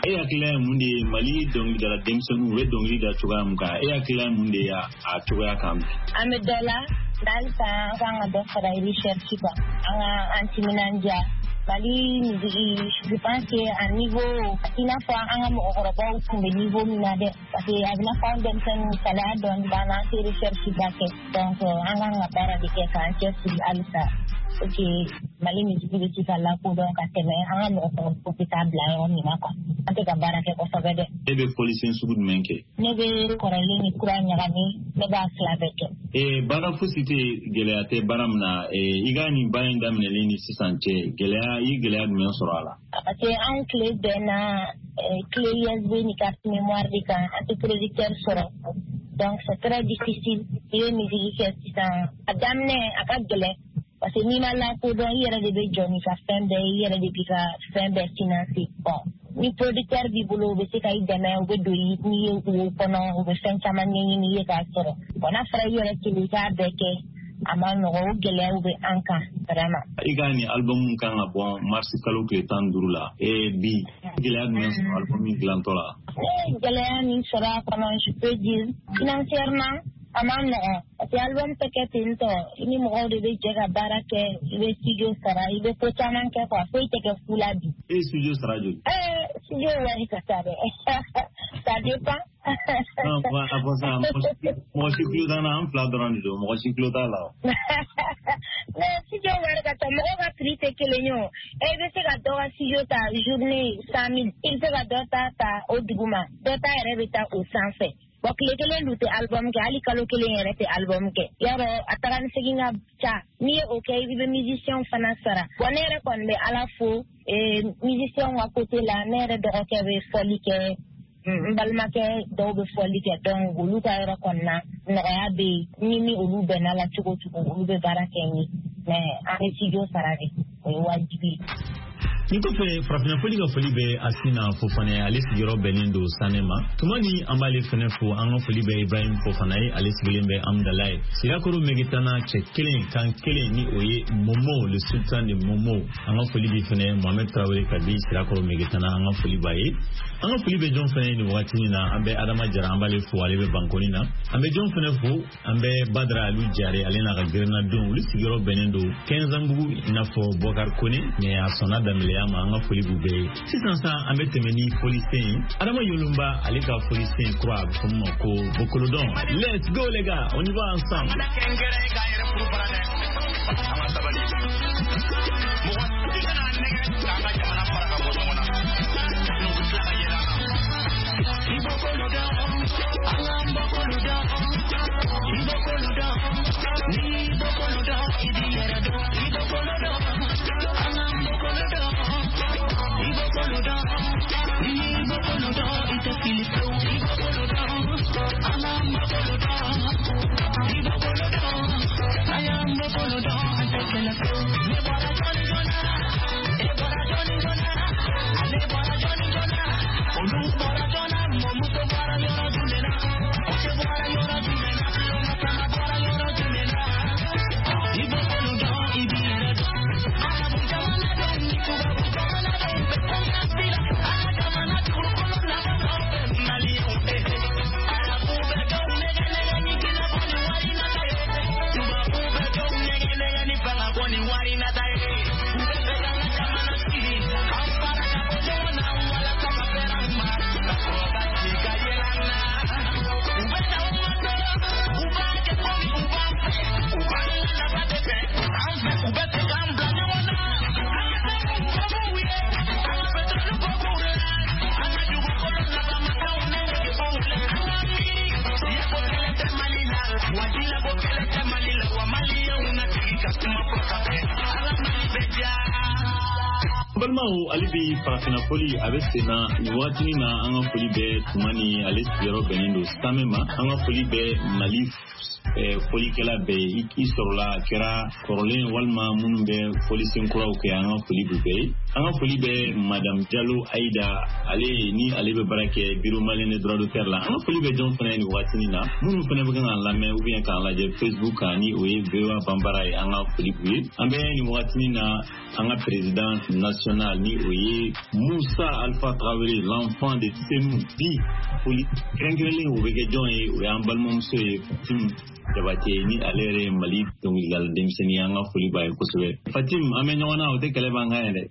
E hakilila ye mun de ye Mali dɔnkilidala denmisɛnninw u bɛ dɔnkili da cogoya min kan, e hakilila ye mun de ye a cogoya kan bi? An bɛ dɔ la, halisa an kan ka dɔ fara recherche kan, an ka an timinandiya Mali musique, je pense que a niveau i n'a fɔ an ka mɔgɔkɔrɔbaw tun bɛ niveau min na dɛ, parce que a bɛ n'a fɔ an denmisɛnninw salaya dɔɔni b'an na, an tɛ recherche ba kɛ, donc an kan ka baara de kɛ k'an cɛsiri halisa pour que Mali musique bɛ se ka lakodɔn ka tɛmɛ an ka mɔgɔkɔrɔbaw bɛ taa bila yɔrɔ min na quoi. An tɛ ka baara kɛ kosɛbɛ dɛ. E bɛ fɔlisen sugu jumɛn kɛ? Ne bɛ kɔrɔlen ni kura ɲagami, ne b'a fila bɛɛ kɛ. Ee baara fosi tɛ gɛlɛya tɛ baara min na, i ka nin baara in daminɛlen ni sisan cɛ, gɛlɛya i ye gɛlɛya jumɛn sɔrɔ a la? Parce que an tile bɛnna clé U S B ni carte mémoire de kan, an tɛ producteur sɔrɔ. Donc c'est très difficile. I ye musique kɛ sisan, a daminɛ a ka gɛlɛn. Parce que n'i ma lakodɔn, i yɛrɛ de bɛ jɔ n'i ka fɛn bɛɛ ye, i yɛrɛ de b'i ka fɛn bɛɛ financer. Bon, ni producteur b'i bolo, u bɛ se ka i dɛmɛ, u bɛ don n'i ye wo kɔnɔ, u bɛ fɛn caman ɲɛɲini i ye k'a sɔrɔ. Bon, n'a fɔra i yɛrɛ kelen i k'a bɛɛ kɛ, a ma nɔgɔ, o gɛlɛyaw bɛ an kan vraiment. I ka nin album kan ka bɔ mars kalo tile tan ni duuru la. Ee bi gɛlɛya jumɛn sɔrɔ album dilantɔ la? Ne ye gɛlɛya min sɔrɔ a kɔnɔ, je peux dire financièrement a ma nɔgɔn, parce que album tɛ kɛ ten tɔ, i ni mɔgɔw de bɛ jɛ ka baara kɛ, i bɛ studio sara, i bɛ ko caman kɛ quoi, foyi tɛ kɛ fu la bi. E ye studio sara joli? Ee studio wari ka ca dɛ, ça dépend. Non, a fɔ sisan mɔgɔ si tulo t'an na, an fila dɔrɔn de don, mɔgɔ si tulo t'a la o. Mais studio wari ka ca, mɔgɔw ka prix tɛ kelen ye o. E bɛ se ka dɔ ka studio ta journée cent mille, i bɛ se ka dɔ ta ta o duguma, dɔ ta yɛrɛ bɛ taa o sanfɛ. Bon, tile kelen dun tɛ album kɛ, hali kalo kelen yɛrɛ tɛ album kɛ. Yarɔ a taga ni segin ka ca, n'i ye o kɛ i bɛ musicien fana sara. Bon, ne yɛrɛ kɔni bɛ Ala fo musicien ka côté la, ne yɛrɛ dɔgɔkɛ bɛ fɔli kɛ, n balimakɛ dɔw bɛ fɔli kɛ, donc olu ka yɔrɔ kɔni na nɔgɔya bɛ yen. Ni ni olu bɛnna la cogo cogo, olu bɛ baara kɛ n ye, mais an bɛ studio sara de, o ye wajibi ye. Nin kɔfɛ farafinna foli ka foli bɛ Asina Fofana ye, ale sigiyɔrɔ bɛnnen don Sanɛ ma. Tuma ni an b'ale fɛnɛ fo, an ka foli bɛ Ibrahim Fofana ye, ale sigilen bɛ Amdala ye. Sirakoro Megetana cɛ kelen kan kelen ni o ye Momo, le sultan de Momo. An ka foli bi fɛnɛ Mohamed Traoré ka di Sirakoro Megetana, an ka foli b'a ye. An ka foli bɛ jɔn fɛnɛ nin wagati in na, an bɛ Adama Jara, an b'ale fo, ale bɛ Bankoni na. An bɛ jɔn fɛnɛ fo, an bɛ Badara Alu Jare, ale n'a ka gɛrɛnnadenw, olu sigiyɔrɔ bɛnnen don Kɛnzanbugu i n'a fɔ Bɔkari Kone, mais a sɔnna daminɛ ma, an ka foli b'u bɛɛ ye. Sisan sa an bɛ tɛmɛ ni folisen ye. Adama Yolomba ale ka folisen kura a bɛ fɔ min ma ko Bokolodɔn. Let's go les gars, on y va ensemble. Balimaw, ale bi farafinna foli a bɛ sen na nin wagatinin na. An ka foli bɛ tuma ni ale sigiyɔrɔ bɛnnen don Samɛ ma. An ka foli bɛ Mali folikɛla bɛɛ ye, i sɔrɔla a kɛra kɔrɔlen walima minnu bɛ folisen kuraw kɛ, an ka foli b'u bɛɛ ye. An ka foli bɛ Madame Jalo Aida, ale ni ale bɛ baara kɛ Bureau malien des droits d'auteur la. An ka foli bɛ jɔn fana ye nin wagatinin na, minnu fana bɛ kan k'an lamɛn ou bien k'an lajɛ Facebook kan, ni o ye V O A Banbara ye, an ka foli b'u ye. An bɛ nin wagatinin na an ka président national ni o ye Mu Moussa Alpha Traoré, l'enfant de Sénou. Bi foli kɛrɛnkɛrɛnlen o bɛ kɛ jɔn ye, o y'an balimamuso ye Fatim Jabate, ni ale yɛrɛ ye Mali dɔnkilidala denmisɛnnin ye. An ka foli b'a ye kosɛbɛ. Fatim, an bɛ ɲɔgɔn na, o tɛ kɛlɛ b'an kan yɛrɛ.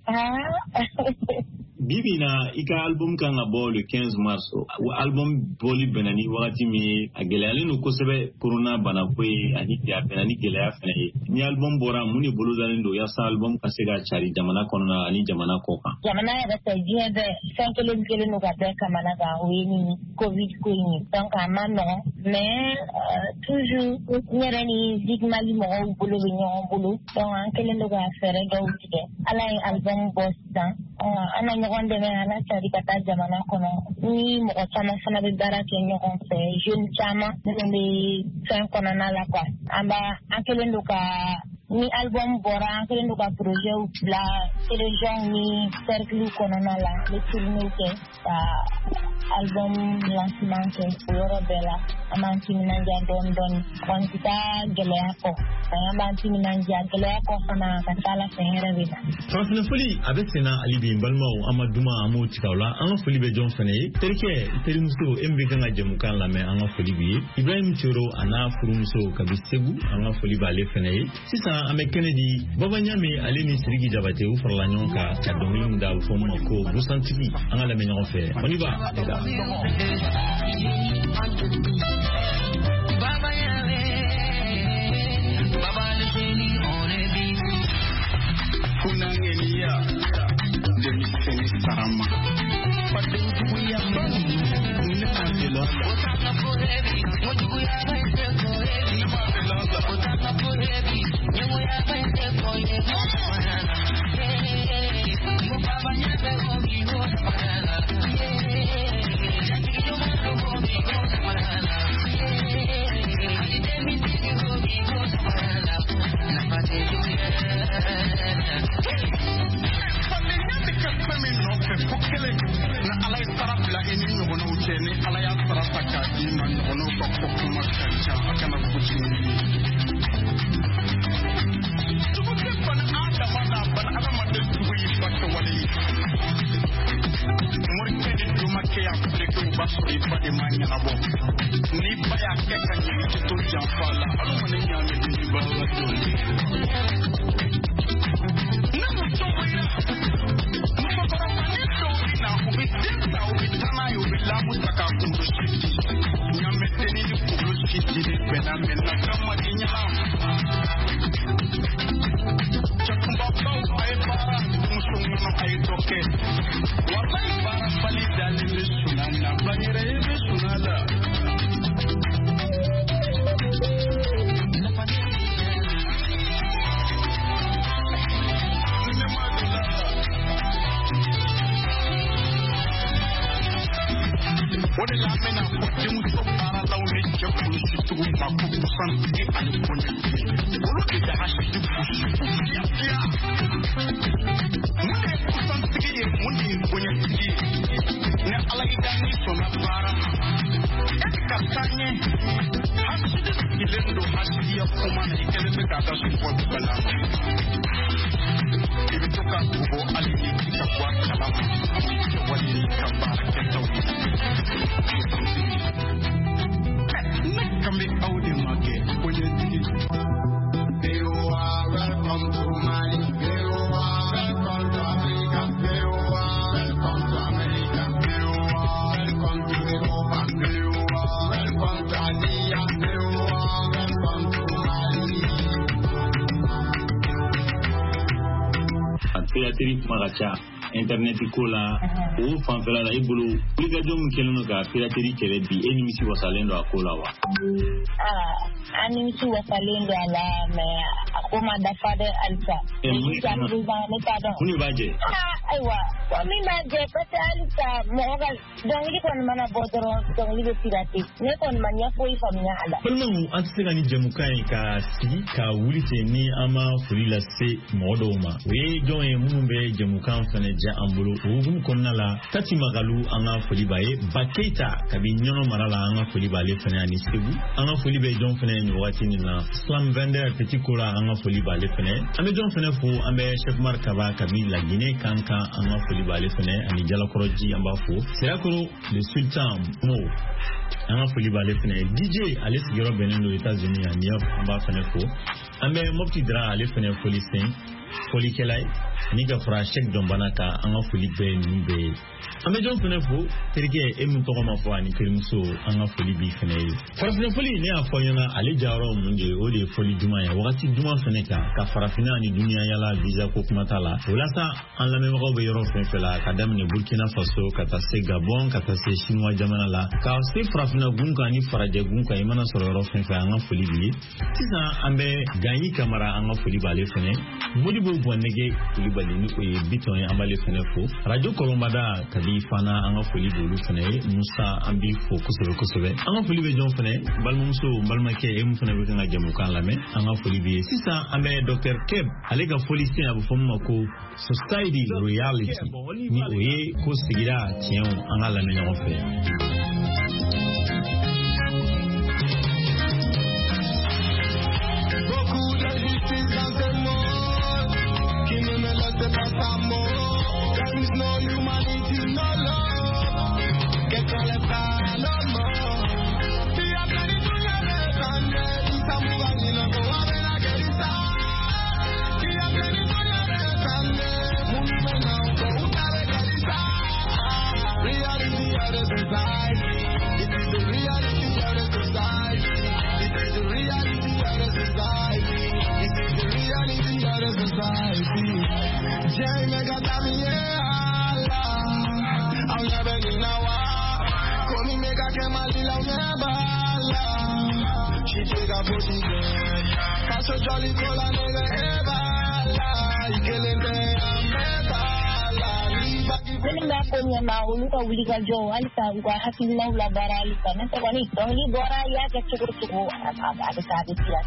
Bi bi na, i ka album kan ka bɔ le quinze mars. O album bɔli bɛnna ni wagati min ye, a gɛlɛyalen don kosɛbɛ, corona banako ye, ani a bɛnna ni gɛlɛya fɛnɛ ye. Ni album bɔra, mun de bolodalen don yaasa album ka se ka cari jamana kɔnɔna ani jamana kɔ kan? Jamana yɛrɛ fɛ, diɲɛ bɛɛ fɛn kelen kelen don ka bɛɛ kamana gan, o ye nin covid ko in ye. Donc a ma nɔgɔn, mais euh, toujours n yɛrɛ ni Zig Mali mɔgɔw bolo bɛ ɲɔgɔn bolo. Donc an kɛlen don ka fɛɛrɛ dɔw tigɛ. Ala ye album bɔ sisan, an na ɲɔgɔn dɛmɛ, an na cari ka taa jamana kɔnɔ. Ni mɔgɔ caman fana bɛ baara kɛ ɲɔgɔn fɛ, jeune caman minnu bɛ fɛn kɔnɔna la quoi. An b'a an kɛlen don ka, ni album bɔra, an kɛlen don ka projet bila région ni cercle kɔnɔna la, an bɛ tournées kɛ ka album lancement kɛ o yɔrɔ bɛɛ la. An b'an timinandiya dɔɔni dɔɔni, kɔni tɛ taa gɛlɛya kɔ, an b'an timinandiya gɛlɛya kɔ fana, ka taa ala fɛ hɛrɛ bɛ na. Farafinna foli a bɛ senna hali bi, n balimaw, an ma duman an m'o tigɛ o la. An ka foli bɛ jɔn fana ye? Terikɛ, terimuso, e min bɛ kan ka jɛmukan lamɛn, an ka foli b'i ye. Ibrahim Coro a n'a furumuso kabi Segu, an ka foli b'ale fana ye. Sisan an bɛ kɛnɛ di Baba Ɲame, ale ni Sidiki Jabate, u farala ɲɔgɔn kan ka dɔnkili min da, a bɛ fɔ min ma ko Busantigi. An ka lamɛn ɲɔgɔn fɛ. On y va les gars. Baba Yame, Baba le génie, on est vite. Kunangeniya, denmisɛnnin sarama. Faden juguya ba ne ma deli a la. Otanga forever, mojuguya ba ite forever. Ne ma deli a la. Otanga forever, nyemoya ba ite forever. Yeah, mo Baba Yame omi ho samarala. Yeah, jantigi yo omi ho samarala. Yeah, ali demi tigi omi ho samarala. Nafa te juguya. Fadenya bɛ kɛ fɛn min nɔfɛ ko kelen na, Ala ye sara bila i ni ɲɔgɔnnaw cɛ. Ni Ala y'a sara ta k'a d'i ma, ɲɔgɔnnaw ka fɔ kuma ka ca, a kana kojugu ye. Jugu tɛ bana adama la, bana adamaden jugu y'i ba kɛwale ye. Morikɛ ni domakɛ y'a fereke, o b'a sɔrɔ i ba de ma ɲɛnabɔ. N'i ba y'a kɛ ka ɲɛ, i tɛ to janfa la. Hali ma ne ɲaamɛ ni ba la jɔlen. Ni muso wulila, musokɔrɔbanin dɔw bɛ na, u bɛ den ta, u bɛ taa n'a ye, u bɛ lamu ta k'a kunkolo si di. Ɲaamɛdenni ni kunkolo si dili bɛnna, mɛ nafa ma di ɲɛna. Cɛkunbabaw a ye baara, muso ŋɔnɔ a ye dɔ kɛ. Walayi baara bali dalen bɛ suna na, banyɛrɛ ye bɛ suna la. Ne ma deli a la. O de la an bɛna fɔ denmuso baaralaw ni cɛ kɔlɔsitigiw ma ko busantigi ani kɔɲɔtigi. Olu de bɛ hasidi gosi k'u fiya fiya. Mun de ye busantigi ye, mun de ye kɔɲɔtigi ye? Ni Ala y'i da, n'i sɔnna baara ma, e bɛ ka taa ɲɛ. Hasidi sigilen don hasidiya kuma na, i kɛlen bɛ k'a ka so bɔ bala ma. I bɛ to ka bɔ hali ni i ka bɔ a kalama, i kɛwale n'i ka baara kɛtaw ye. Ne kan bɛ aw de ma kɛ kɔɲɔtigi. V O A, welcome to Mali. V O A, welcome to Africa. V O A, welcome to America. V O A, welcome to Europa. V O A, welcome to Asia. V O A, welcome to Mali. A pirateri kuma ka ca internet ko la, o fanfɛla la, i bolo wulikajɔ min kɛlen don ka pirateri kɛlɛ bi, e nimisi wasalen don a ko la wa? Aa, an nimisi wasalen don a la, mais a ko ma dafa dɛ halisa. Jusqu'à présent, ne t'a dɔn. Mun de b'a jɛ? Aa, ayiwa, ko min b'a jɛ, parce que halisa mɔgɔ ka dɔnkili kɔni mana bɔ dɔrɔn, dɔnkili bɛ pirate. Ne kɔni ma ɲɛ foyi faamuya a la. Balimaw, an tɛ se ka ni jɛmukan ye ka sigi ka wuli ten ni an ma foli lase mɔgɔ dɔw ma. O ye jɔn ye minnu bɛ jɛmukan fana diya an bolo? O hukumu kɔnɔna la, Tati Magalu, an ka foli b'a ye. Ba Keita kabi Ɲɔnɔ mara la, an ka foli b'ale fana ani Segu. An ka foli bɛ jɔn fana ye nin wagati nin na? Slam Vender Petit Kola, an ka foli b'ale fɛnɛ. An bɛ jɔn fɛnɛ fo, an bɛ Cheikh Umar Kaba kabi Laginɛ kan kan, an ka foli b'ale fɛnɛ ani Jalakɔrɔji, an b'a fo. Sirakoro le Sultan Mo, an ka foli b'ale fɛnɛ. D J ale sigiyɔrɔ bɛnnen don États-Unis a New York, an b'a fɛnɛ fo. An bɛ Mopti Dra ale fɛnɛ foli sen folikɛla ye, ani ka fara Cheikh Dɔnbana kan, an ka foli bɛɛ ninnu bɛɛ ye. An bɛ jɔn fɛnɛ fo, terikɛ e min tɔgɔ ma fɔ ani terimuso, an ka foli b'i fɛnɛ ye. Farafinna foli, ne y'a fɔ ɲɛna ale jayɔrɔ mun de ye, o de ye foli duman ye wagati duman fɛnɛ kan, ka farafinna ani duniya yala visa ko kuma t'a la. O la sa an lamɛnbagaw bɛ yɔrɔ fɛn fɛn la, ka daminɛ Burkina Faso ka taa se Gabon, ka taa se Chinois jamana la, ka se farafinna gun kan ani farajɛ gun kan, i mana sɔrɔ yɔrɔ fɛn fɛn, an ka foli b'i ye. Sisan an bɛ Ganyi Kamara, an ka foli b'ale fɛnɛ. Modibo Bɔnɛgɛ Kulibali ni o ye Bitɔn ye, an b'ale fɛnɛ fo. Radio Kɔlɔnbada kabi fana, an ka foli b'olu fɛnɛ ye. Musa, an b'i fo kosɛbɛ kosɛbɛ. An ka foli bɛ jɔn fɛnɛ, balimamuso, balimakɛ e min fɛnɛ bɛ kan ka jamukan lamɛn, an ka foli b'i ye. Sisan an bɛ Docteur Keb, ale ka foli sen a bɛ fɔ min ma ko Society Reality, ni o ye ko sigida tiɲɛw, an ka lamɛn ɲɔgɔn fɛ. Beaucoup d'injustice dans ce monde qui ne me laisse pas sa mort. There is no humanity, no love. Qu'est-ce qu'on les fera à la mort? Reality of the society. It is the reality of the society. It is the reality of the society. It is the reality of the society. Jay mega tamiye Allah. I'll never get now. Komi mega kemalila unebala. She take a pussy girl. Kaso jolly kola nega ebala. Ikelente amebala. Minnu b'a ko ɲɛma, olu ka wuli ka jɔ halisa, u ka hakilinaw labaara halisa. N'o tɛ kɔni dɔnkili bɔra, i y'a kɛ cogo o cogo, a bɛ taa, a bɛ tila.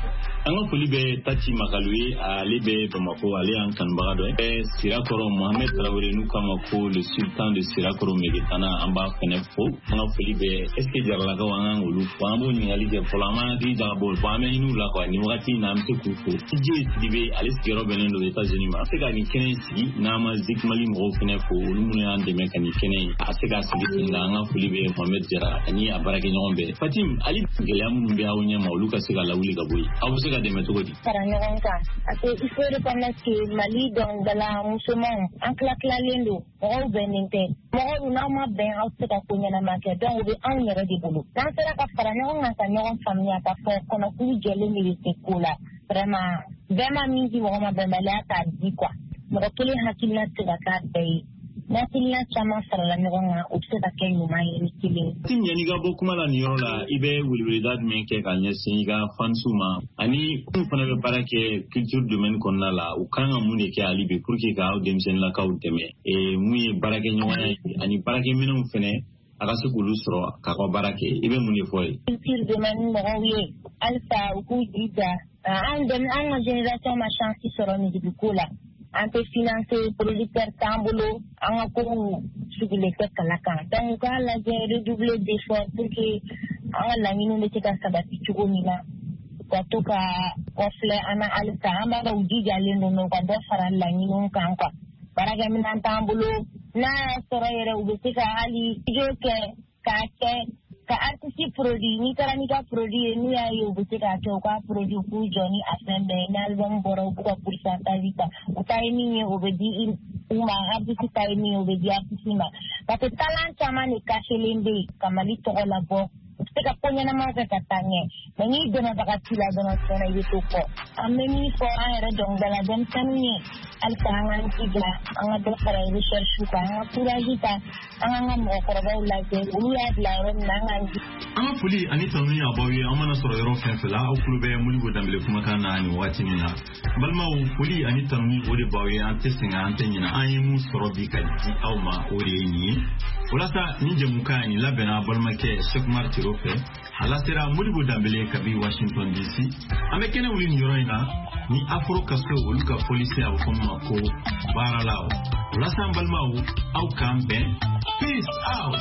An ka foli bɛ Tati Makalu ye, ale bɛ Bamako, ale y'an kanubaga dɔ ye. Sirakɔrɔ Mohamed Traoré n'u k'a ma ko le sultan de Sirakɔrɔ Megetana, an b'a fɛnɛ fo. An ka foli bɛ est ce que Jaralakaw, an kan k'olu fo, an b'o ɲininkali kɛ fɔlɔ, an b'an hakili jagabɔ o an bɛ ɲini u la quoi. Nin wagati in na an bɛ se k'u fo. D J Sidibe, ale sigiyɔrɔ bɛnnen don États-Unis ma. An bɛ se ka nin kɛnɛ in sigi n'an ma Zik Mali mɔgɔw fɛnɛ fo, olu minnu y'an dɛmɛ ka nin kɛnɛ in a se k'a sigi sen kan. An ka foli bɛ Mohamed Jara ani a baarakɛɲɔgɔn bɛɛ. Fatim, hali gɛlɛya minnu bɛ aw ɲɛ ma, olu ka se ka lawuli ka bɔ yen, aw bɛ se ka dɛmɛ cogo di? Fara ɲɔgɔn kan, parce que il faut reconnaître que Mali dɔnkilidala musomanw an tila tilalen don, mɔgɔw bɛnnen tɛ. Mɔgɔw dun, n'aw ma bɛn, aw tɛ se ka ko ɲɛnama kɛ. Donc o bɛ anw yɛrɛ de bolo. N'an sera ka fara ɲɔgɔn kan ka ɲɔgɔn faamuya k'a fɔ kɔnɔkulu jɛlen de bɛ se ko la. Vraiment, bɛɛ ma min di mɔgɔ ma, bɛnbaliya t'a di quoi. Mɔgɔ kelen hakilina tɛ se ka k'a bɛɛ ye. N'hakilina caman farala ɲɔgɔn kan, o bɛ se ka kɛ ɲuman ye ni kelen ye. Tim, yanni i ka bɔ kuma la nin yɔrɔ la, i bɛ weleweleda jumɛn kɛ ka ɲɛsin i ka fansiw ma, ani minnu fana bɛ baara kɛ culture domaine kɔnɔna la, u kan ka mun de kɛ hali bi pour que k'aw denmisɛnninlakaw dɛmɛ, mun ye baarakɛɲɔgɔnya ye ani baarakɛminɛnw fɛnɛ a ka se k'olu sɔrɔ k'a ka baara kɛ, i bɛ mun de fɔ ye? Culture domaine mɔgɔw ye halisa u k'u jija. An an ka génération ma chance sɔrɔ musique ko la. An tɛ financer, producteur t'an bolo, an ka kow sigilen tɛ kala kan. Donc u k'a lajɛ redoubler d'effort pour que an ka laɲiniw bɛ se ka sabati cogo min na. U ka to ka kɔfilɛ an na halisa, an b'a dɔn u jijalen don, mais u ka dɔ fara laɲiniw kan quoi. Baarakɛminɛn t'an bolo, n'a y'a sɔrɔ yɛrɛ u bɛ se ka hali studio kɛ k'a kɛ ka artiste produit. N'i taara n'i ka produit ye, n'u y'a ye u bɛ se k'a kɛ, u k'a produit, u k'u jɔ ni a fɛn bɛɛ ye. Ni album bɔra, u b'u ka pourcentage ta, u ta ye min ye o bɛ di u ma, artiste ta ye min ye o bɛ di artiste ma. Parce que talent caman de cachelen bɛ yen ka Mali tɔgɔ labɔ, u bɛ se ka ko ɲɛnamaw kɛ ka taa ɲɛ, mais n'i dɛmɛbaga t'i la dɔrɔn, tiɲɛna i bɛ to kɔ. An bɛ min fɔ an yɛrɛ dɔnkilidala denmisɛnninw ye, halisa an k'an jija, an ka dɔ fara recherche kan, an ka courage ta, an k'an ka mɔgɔkɔrɔbaw lajɛ, olu y'a bila yɔrɔ min na, an k'an jija. An ka foli ani tanuni a b'aw ye, an mana sɔrɔ yɔrɔ fɛn fɛn la, aw tulo bɛ Modibo Danbele kumakan na nin waati min na. Balimaw, foli ani tanuni o de b'aw ye, an tɛ sɛgɛn, an tɛ ɲinɛ, an ye mun sɔrɔ bi ka di aw ma, o de ye nin ye. O la sa, nin jɛmukan nin labɛnna balimakɛ Cheikh Umar Tiro fɛ, a lasera Modibo Danbele kabi Washington D C. An bɛ kɛnɛ wuli nin yɔrɔ in na ni Afro Kaso olu ka folisen, a bɛ fɔ min ma ko baaralaw. O la sa, an balimaw, aw k'an bɛn. Peace out.